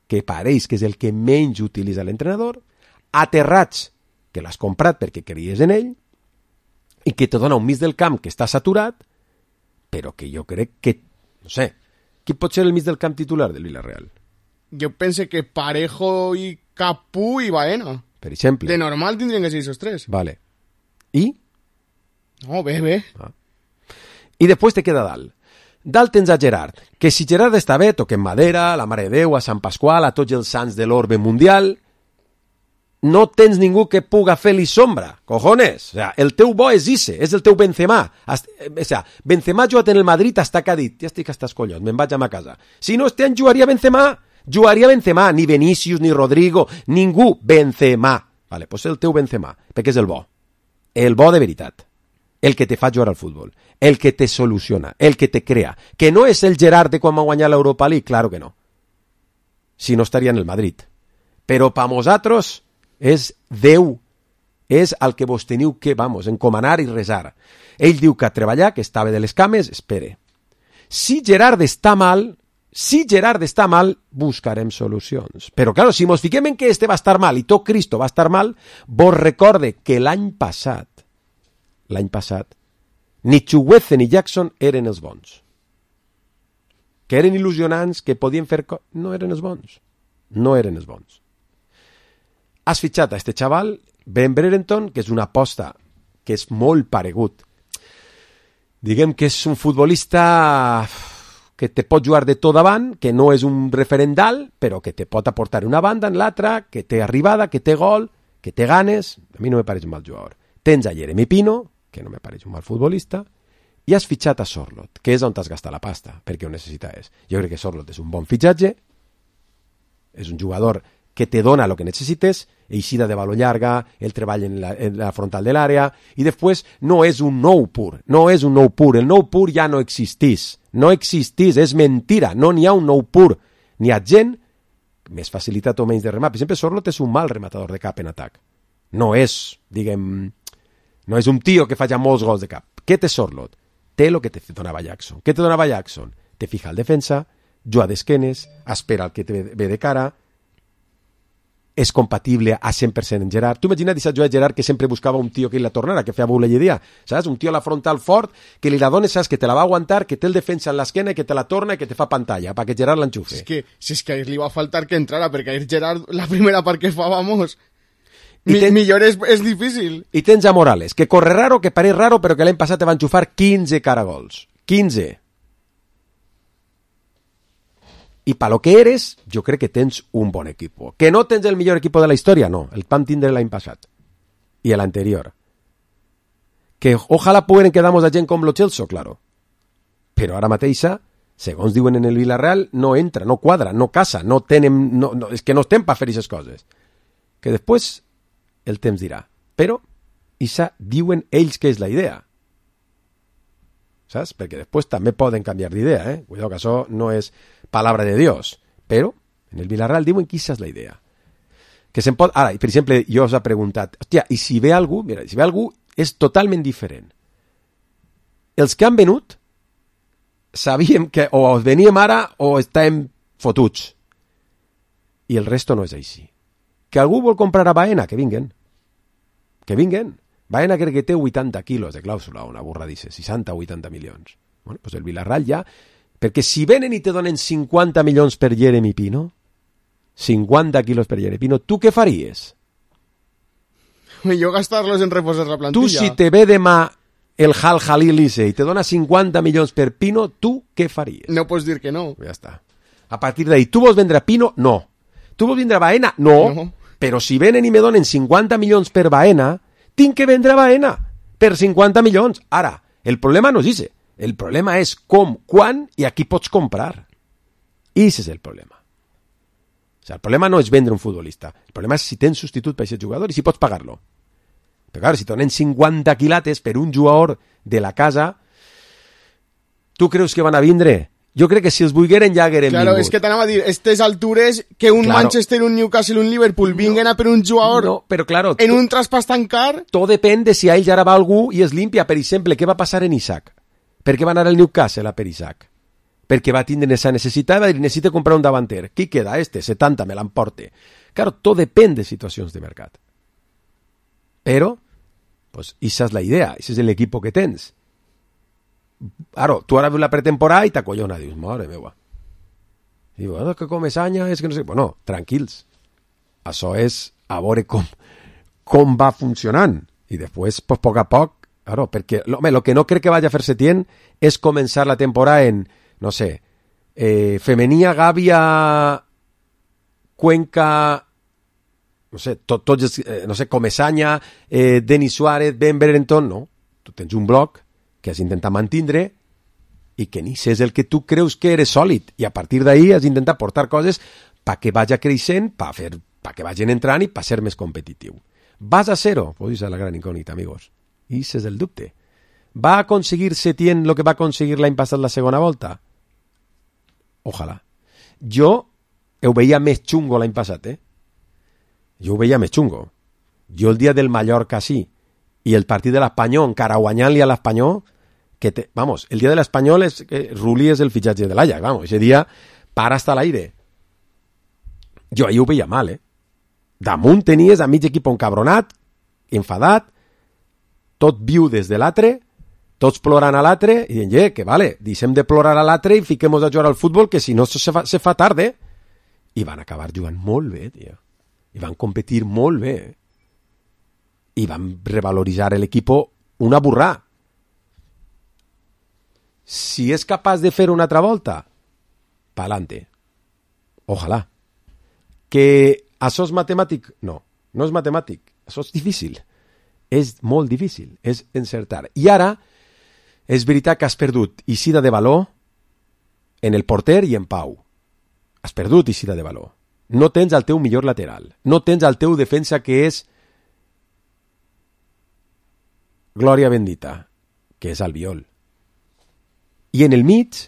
que pareix que és el que menys utilitza l'entrenador, a Terrats, que l'has comprat perquè creies en ell, i que te dona un mig del camp que està saturat, però que jo crec que, no sé, qui pot ser el mig del camp titular del Villarreal? Jo pense que Parejo i Capú i Baena. Per exemple. De normal tindrien que ser esos tres. Vale. I? No, bé. Ah. I després te queda dalt. Dalt tens a Gerard, que si Gerard està bé, toquem madera, la Mare de Déu, a Sant Pasqual, a tots els sants de l'orbe mundial, no tens ningú que puga fer-li sombra, cojones. O sea, el teu bo és Isse, és el teu Benzema. O sea, Benzema ha jugat en el Madrid hasta que ha dit, ja estic hasta els collons, me'n vaig a ma casa. Si no, este any jugaria Benzema, ni Vinícius, ni Rodrigo, ningú, Benzema. Vale, pues el teu Benzema, perquè és el bo de veritat. El que te fa jugar al futbol, el que te soluciona, el que te crea, que no és el Gerard de quan va guanyar l'Europa League, claro que no. Si no estaria en el Madrid. Però pa nosaltres és Déu, és el que vos teniu que, encomanar i resar. Ell diu que a treballar, que estava de les cames, espere. Si Gerard està mal, buscarem solucions. Però, claro, si mos fiquem en que este va estar mal i tot Cristo va estar mal, vos recorde que l'any passat, ni Chugueze ni Jackson eren els bons. Que eren il·lusionants, que podien fer... No eren els bons. Has fitxat a este xaval, Ben Brereton, que és una aposta que és molt paregut. Diguem que és un futbolista que te pot jugar de tot davant, que no és un referent dalt, però que te pot aportar una banda en l'altra, que té arribada, que té gol, que té ganes. A mi no me pareix un mal jugador. Tens a Jeremy Pino, que no me pareix un mal futbolista, i has fitxat a Sorloth, que és on t'has gastat la pasta, perquè ho necessites. Jo crec que Sorloth és un bon fitxatge, és un jugador que te dona el que necessites, eixida de baló llarga, el treball en la frontal de l'àrea, i després no és un nou pur, el nou pur ja no existís, és mentira, no n'hi ha un nou pur, n'hi ha gent més facilitat o menys de remat. Per exemple, Sorloth és un mal rematador de cap en atac, no és, no és un tio que fa ja molts gols de cap. Què té Sorloth? Té el que te donava Jackson. Què te donava Jackson? Te fija al defensa, juga d'esquenes, espera el que te ve de cara, és compatible a 100% en Gerard. Tu imagina't deixar jugar Gerard, que sempre buscava un tio que la tornara, que feia bouleyeria, saps? Un tio a la frontal fort, que li la dones, saps? Que te la va aguantar, que té el defensa en l'esquena, que te la torna i que te fa pantalla, perquè Gerard l'enxufe. Si és que a ell li va faltar que entrara, perquè a ell Gerard, la primera part que fa, vamos... Millor és difícil. I tens a Morales, que corre raro, que pareix raro, però que l'any passat te van xufar 15 caragols. 15. I pa lo que eres, jo crec que tens un bon equipo. Que no tens el millor equipo de la història, no. El vam tindre l'any passat. I l'anterior. Que ojalà puguen quedar-nos a gent com lo Chelsea, claro. Però ara mateixa, segons diuen en el Villarreal, no entra, no quadra, no casa, no tenen... No, és que no estem per fer aquestes coses. Que després el temps dirà. Però, isa diuen ells que és la idea. Saps? Perquè després també poden canviar d'idea, eh? Cuidado, que això no és palabra de Dios. Però, en el Villarreal diuen que isa és la idea. Que se'n pot... Ara, per exemple, jo us he preguntat, hòstia, i si ve algú, mira, si ve algú, és totalment diferent. Els que han venut sabíem que o veníem ara o estàvem fotuts. I el resto no és així. Que algú vol comprar a Baena, que vinguen. Que vinguen. Baena crec que té 80 quilos de clàusula, una burra dice, 60 o 80 milions. Bueno, pues el Villarreal ja... Perquè si venen i te donen 50 milions per Jeremy Pino, 50 quilos per Jeremy Pino, tu què faries? Jo gastar-los en reforçar la plantilla. Tu, si te ve demà el Hal Jalil i te dona 50 milions per Pino, tu què faries? No pots dir que no. Ja està. A partir d'ahí, tu vols vendre Pino? No. Tu vols vendre Baena? No. Però si venen i me donen 50 milions per Baena, tinc que vendre Baena per 50 milions. Ara, el problema no és ese. El problema és com, quan i a qui pots comprar. Ese és el problema. O sigui, el problema no és vendre un futbolista. El problema és si tens substitut per aquest jugador i si pots pagar-lo. Però clar, si donen 50 quilates per un jugador de la casa, tu creus que van a vindre? Jo crec que si els volgueren ja hagueren claro, vingut. És que t'anava a dir, estes altures, que un Manchester, un Newcastle, un Liverpool vinguen a per un jugador però claro, en un traspàs tan car... Tot depèn de si a ells ara va algú i es limpia. Per exemple, què va passar en Isaac? Per què va anar al Newcastle a per Isaac? Perquè va tindre esa necessitat i va dir, necessito comprar un davanter. Qui queda? 70, me l'emporte. Claro, tot depèn de situacions de mercat. Però, pues, esa és la idea, ese és l'equip que tens. Ara, tu ara veus la pretemporada i t'acollona, dius, mare meva. I dius, que Comesaña és que no sé... Bueno, tranquils. Això és a veure com va funcionant. I després, pues, poc a poc, claro, perquè lo que no crec que vaya a fer Setién és començar la temporada en, no sé, Femenía, Gàbia, Cuenca, no sé, tots, no sé, Comesaña, Denis Suárez, Ben Berenton, no. Tu tens un bloc que has d'intentar mantindre i que ni és el que tu creus que eres sòlid. I a partir d'ahí has d'intentar portar coses perquè vagi creixent, perquè vagin entrant i per ser més competitiu. ¿Vas a ser-ho? Pues esa es la gran incògnita, amigos. I ese és el dubte. ¿Va a aconseguir Setién lo que va aconseguir l'any passat la segona volta? Ojalà. Jo ho veia més xungo l'any passat, Jo ho veia més xungo. Jo el dia del Mallorca sí, i el partit de l'Espanyol, encara guanyant-li a l'Espanyol, vamos, el dia de l'Espanyol és Rulli és el fitxatge de l'Ajax, vamos, ese dia para hasta l'aire. Jo ahir ho veia mal, Damunt tenies a mig equip encabronat, enfadat, tot viu des de l'altre, tots plorant a l'altre, i dient, que vale, deixem de plorar a l'altre i fiquem-nos a jugar al futbol, que si no se fa tard, I van acabar jugant molt bé, tio. I van competir molt bé. I van revaloritzar l'equip una burrà. Si és capaç de fer una altra volta, pa'lante. Ojalà. Que això és matemàtic? No, no és matemàtic. Això és difícil. És molt difícil. És encertar. I ara, és veritat que has perdut Isida de Valor en el porter i en Pau. Has perdut Isida de Valor. No tens el teu millor lateral. No tens el teu defensa que és Glòria bendita, que és Albiol. I en el mig,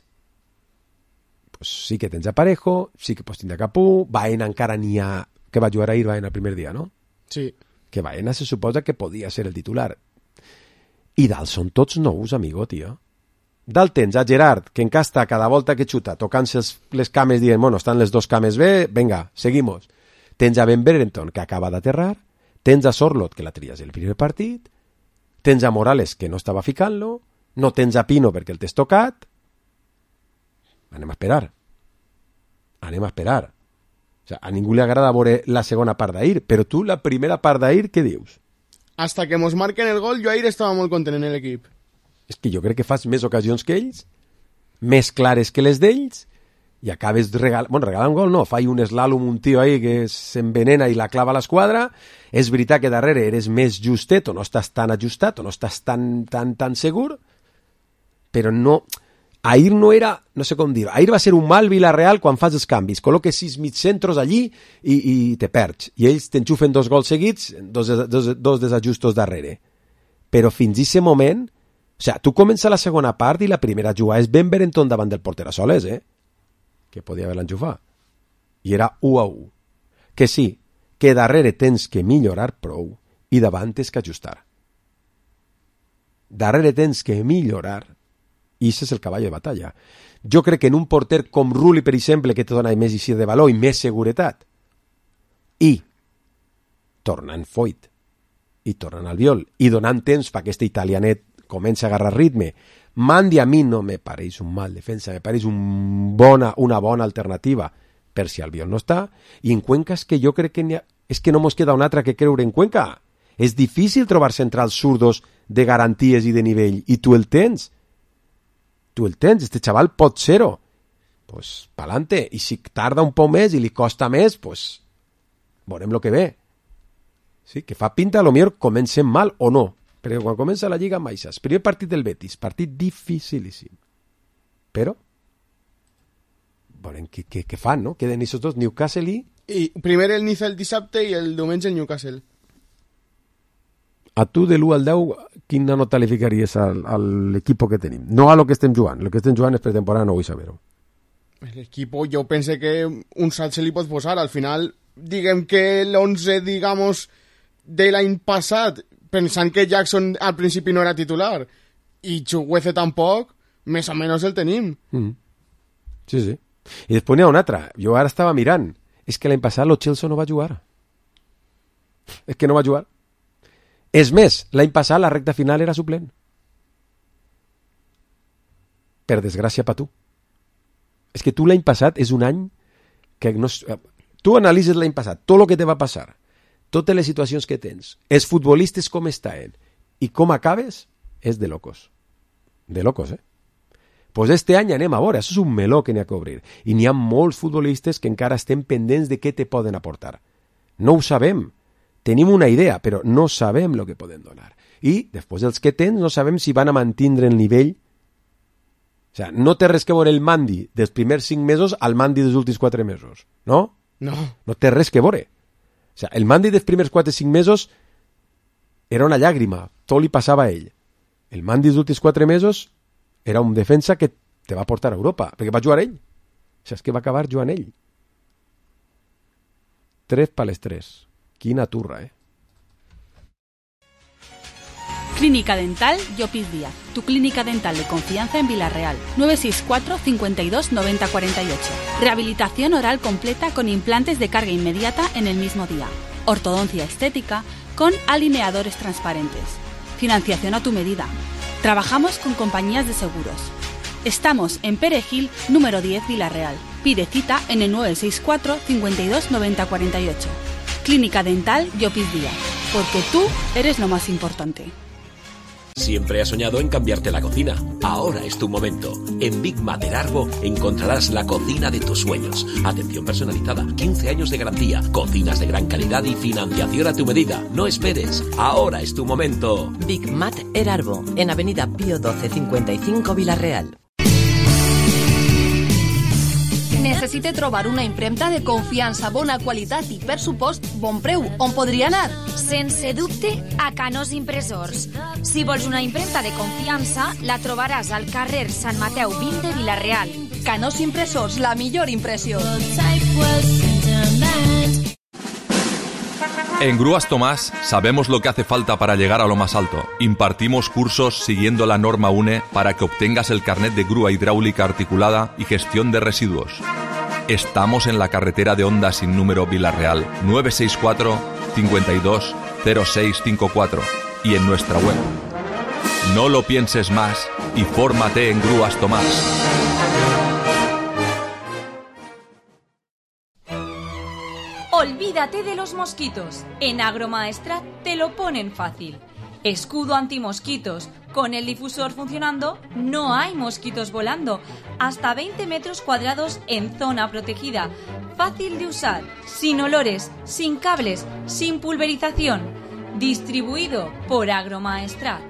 pues sí que tens a Parejo, sí que pots tindre a Capú, Baena encara n'hi ha... Que va jugar ahir Baena el primer dia, no? Sí. Que Baena se suposa que podia ser el titular. I dalt són tots nous, amigo, tio. Dalt tens a Gerard, que encasta cada volta que xuta, tocant-se les cames dient, bueno, estan les dos cames bé, venga, seguimos. Tens a Ben Berenton, que acaba d'aterrar, tens a Sorlot, que la tries el primer partit, tens a Morales, que no estava ficant-lo, no tens a Pino perquè el t'has tocat. Anem a esperar. O sea, a ningú li agrada veure la segona part d'ahir, però tu, la primera part d'ahir, què dius? Hasta que mos marquen el gol, jo ahir estava molt content en l'equip. És que jo crec que fas més ocasions que ells, més clares que les d'ells, i acabes regalant un gol, no, fa un slalom un tio ahí que s'envenena i la clava a l'esquadra. És veritat que darrere eres més justet, o no estàs tan ajustat, o no estàs tan segur, però no... Ahir no era, no sé com dir, ahir va ser un mal Villarreal quan fas els canvis, col·loques 6 mitjcentros allí i te perds, i ells t'enxufen 2 gols seguits, dos desajustos darrere. Però fins a aquest moment, o sigui, tu comença la segona part i la primera jugada és Ben Berenton davant del porter a soles, que podia haver l'enxufat. I era 1-1. Que sí, que darrere tens que millorar prou i davant tens que ajustar. Darrere tens que millorar i això és el cavall de batalla. Jo crec que en un porter com Rulli, per exemple, que te dona més eixir de valor i més seguretat, i tornant Foyt, i tornant Albiol, i donant temps perquè aquest italianet comença a agarrar ritme, Mandi a mi no me pareix un mal defensa, me pareix una bona alternativa per si Albiol no està, i en Cuenca és que jo crec que és que no mos queda una altra que creure en Cuenca. És difícil trobar centrals zurdos de garanties i de nivell, i tu el tens. Este xaval pot ser-ho. Pues, pa'lante. I si tarda un poc més i li costa més, pues, veurem el que ve. Sí, que fa pinta, a lo millor comencem mal o no, perquè quan comença la Lliga mai saps. Primer partit del Betis, partit dificilíssim. Però, veurem què fan, no? Queden aquests dos, Newcastle I primer el Niza el dissabte i el diumenge el Newcastle. A tu, de l'1 al 10, quina nota li ficaries a l'equip que tenim? No a lo que estem jugant. Lo que estem jugant és pretemporada, no vull saber-ho. L'equip, jo pense que un salt se li pot posar. Al final, diguem que l'11, digamos, de l'any passat, pensant que Jackson al principi no era titular, i Chukwueze tampoc, més o menys el tenim. Sí. I després n'hi ha un altre. Jo ara estava mirant. És que l'any passat Lo Celso no va jugar. És que no va jugar. És més, l'any passat la recta final era suplent. Per desgràcia per tu. És que tu l'any passat és un any que no... Tu analitzes l'any passat, tot el que te va passar, totes les situacions que tens, els futbolistes com estaven i com acabes, és de locos. De locos, Pues este any anem a veure, això és un meló que n'hi ha que obrir. I n'hi ha molts futbolistes que encara estem pendents de què te poden aportar. No ho sabem. Tenim una idea, però no sabem el que podem donar. I, després dels que tens, no sabem si van a mantindre el nivell. O sigui, no té res que veure el Mandi dels primers 5 mesos al Mandi dels últims 4 mesos, no? No. No té res que veure. O sigui, el Mandi dels primers 4-5 mesos era una llàgrima, tot li passava a ell. El Mandi dels últims 4 mesos era un defensa que te va portar a Europa, perquè va jugar ell. O sigui, és que va acabar jugant ell. 3 per les 3. Quina turra, Clínica Dental Llopis Díaz, tu clínica dental de confianza en Villarreal. 964 52 90 48. Rehabilitación oral completa con implantes de carga inmediata en el mismo día. Ortodoncia estética con alineadores transparentes. Financiación a tu medida. Trabajamos con compañías de seguros. Estamos en Perejil, número 10, Villarreal. Pide cita en el 964 52 90 48. Clínica Dental Llopis Díaz, porque tú eres lo más importante. Siempre has soñado en cambiarte la cocina. Ahora es tu momento. En Big Mater Arbo encontrarás la cocina de tus sueños. Atención personalizada, 15 años de garantía, cocinas de gran calidad y financiación a tu medida. No esperes. Ahora es tu momento. Big Mater Arbo, en Avenida Pío 12 55 Villarreal. Necessite trobar una impremta de confiança, bona qualitat i, per supost, bon preu. On podria anar? Sense dubte, a Canós Impressors. Si vols una impremta de confiança, la trobaràs al carrer Sant Mateu 20 de Vila-real. Canós Impressors, la millor impressió. En Grúas Tomás sabemos lo que hace falta para llegar a lo más alto. Impartimos cursos siguiendo la norma UNE para que obtengas el carnet de grúa hidráulica articulada y gestión de residuos. Estamos en la carretera de Honda sin número Vila-real, 964 52 0654 y en nuestra web. No lo pienses más y fórmate en Grúas Tomás. Olvídate de los mosquitos. En Agromaestrat te lo ponen fácil. Escudo antimosquitos. Con el difusor funcionando, no hay mosquitos volando. Hasta 20 metros cuadrados en zona protegida. Fácil de usar, sin olores, sin cables, sin pulverización. Distribuido por Agromaestrat.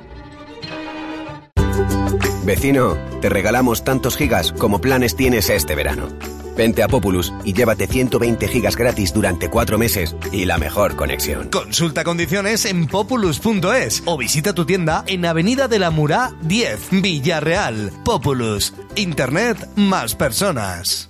Vecino, te regalamos tantos gigas como planes tienes este verano. Vente a Populus y llévate 120 gigas gratis durante 4 meses y la mejor conexión. Consulta condiciones en populus.es o visita tu tienda en Avenida de la Murá 10, Villarreal. Populus. Internet más personas.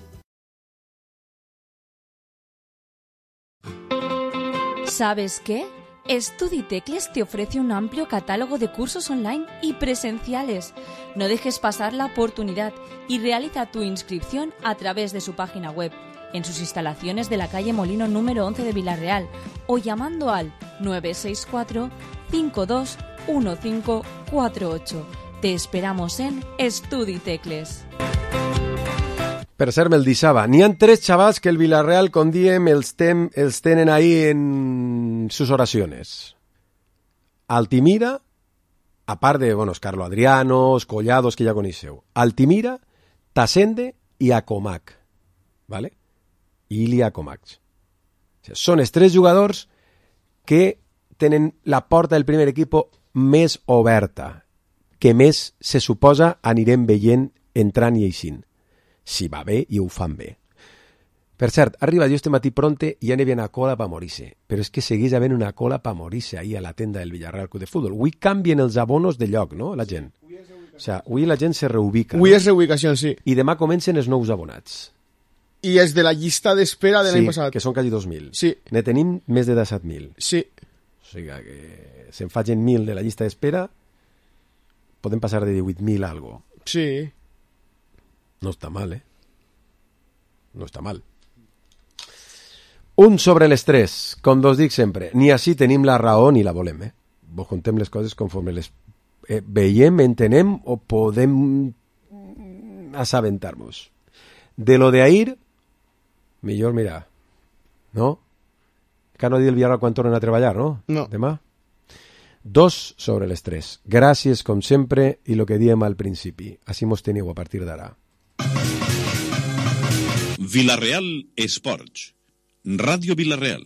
¿Sabes qué? StudiTecles te ofrece un amplio catálogo de cursos online y presenciales. No dejes pasar la oportunidad y realiza tu inscripción a través de su página web, en sus instalaciones de la calle Molino número 11 de Villarreal o llamando al 964 521548. Te esperamos en StudiTecles. Per cert, me'l deixava. N'hi ha 3 xavals que el Villarreal con diem els tenen ahí en sus oraciones. Altimira, a part de, bueno, Carlo Adriano, Collados, que ja coneixeu. Altimira, Tasende i Acomac. ¿Vale? Ili Acomac. O sigui, són els 3 jugadors que tenen la porta del primer equip més oberta, que més se suposa anirem veient entrant i eixint. Si va bé i ho fan bé. Per cert, arriba jo este matí pronte i ja n'hi havia una cola per morir-se. Però és que segueix havent una cola per morir-se ahí a la tenda del Villarreal Club de Fútbol. Avui canvien els abonos de lloc, no?, la gent. O sigui, avui la gent se reubica. Avui és reubicació, sí. I demà comencen els nous abonats. I és de la llista d'espera de l'any passat. Sí, que són quasi 2.000. Sí. Ne tenim més de 17.000. Sí. O sigui que se'n facin 1.000 de la llista d'espera, podem passar de 18.000 a algo. Sí. No està mal, No està mal. Un sobre l'estrès, com vos dic sempre, ni així tenim la raó ni la volem, Vos contem les coses conforme les veiem, entenem o podem assabentar-nos. De lo de ahir, millor mirar, no? Que no dir el Villarreal quan tornen a treballar, no? No. Demà? 2 sobre l'estrès. Gràcies, com sempre, i lo que diem al principi. Així mos teniu a partir d'ara. Villarreal Esports. Radio Villarreal.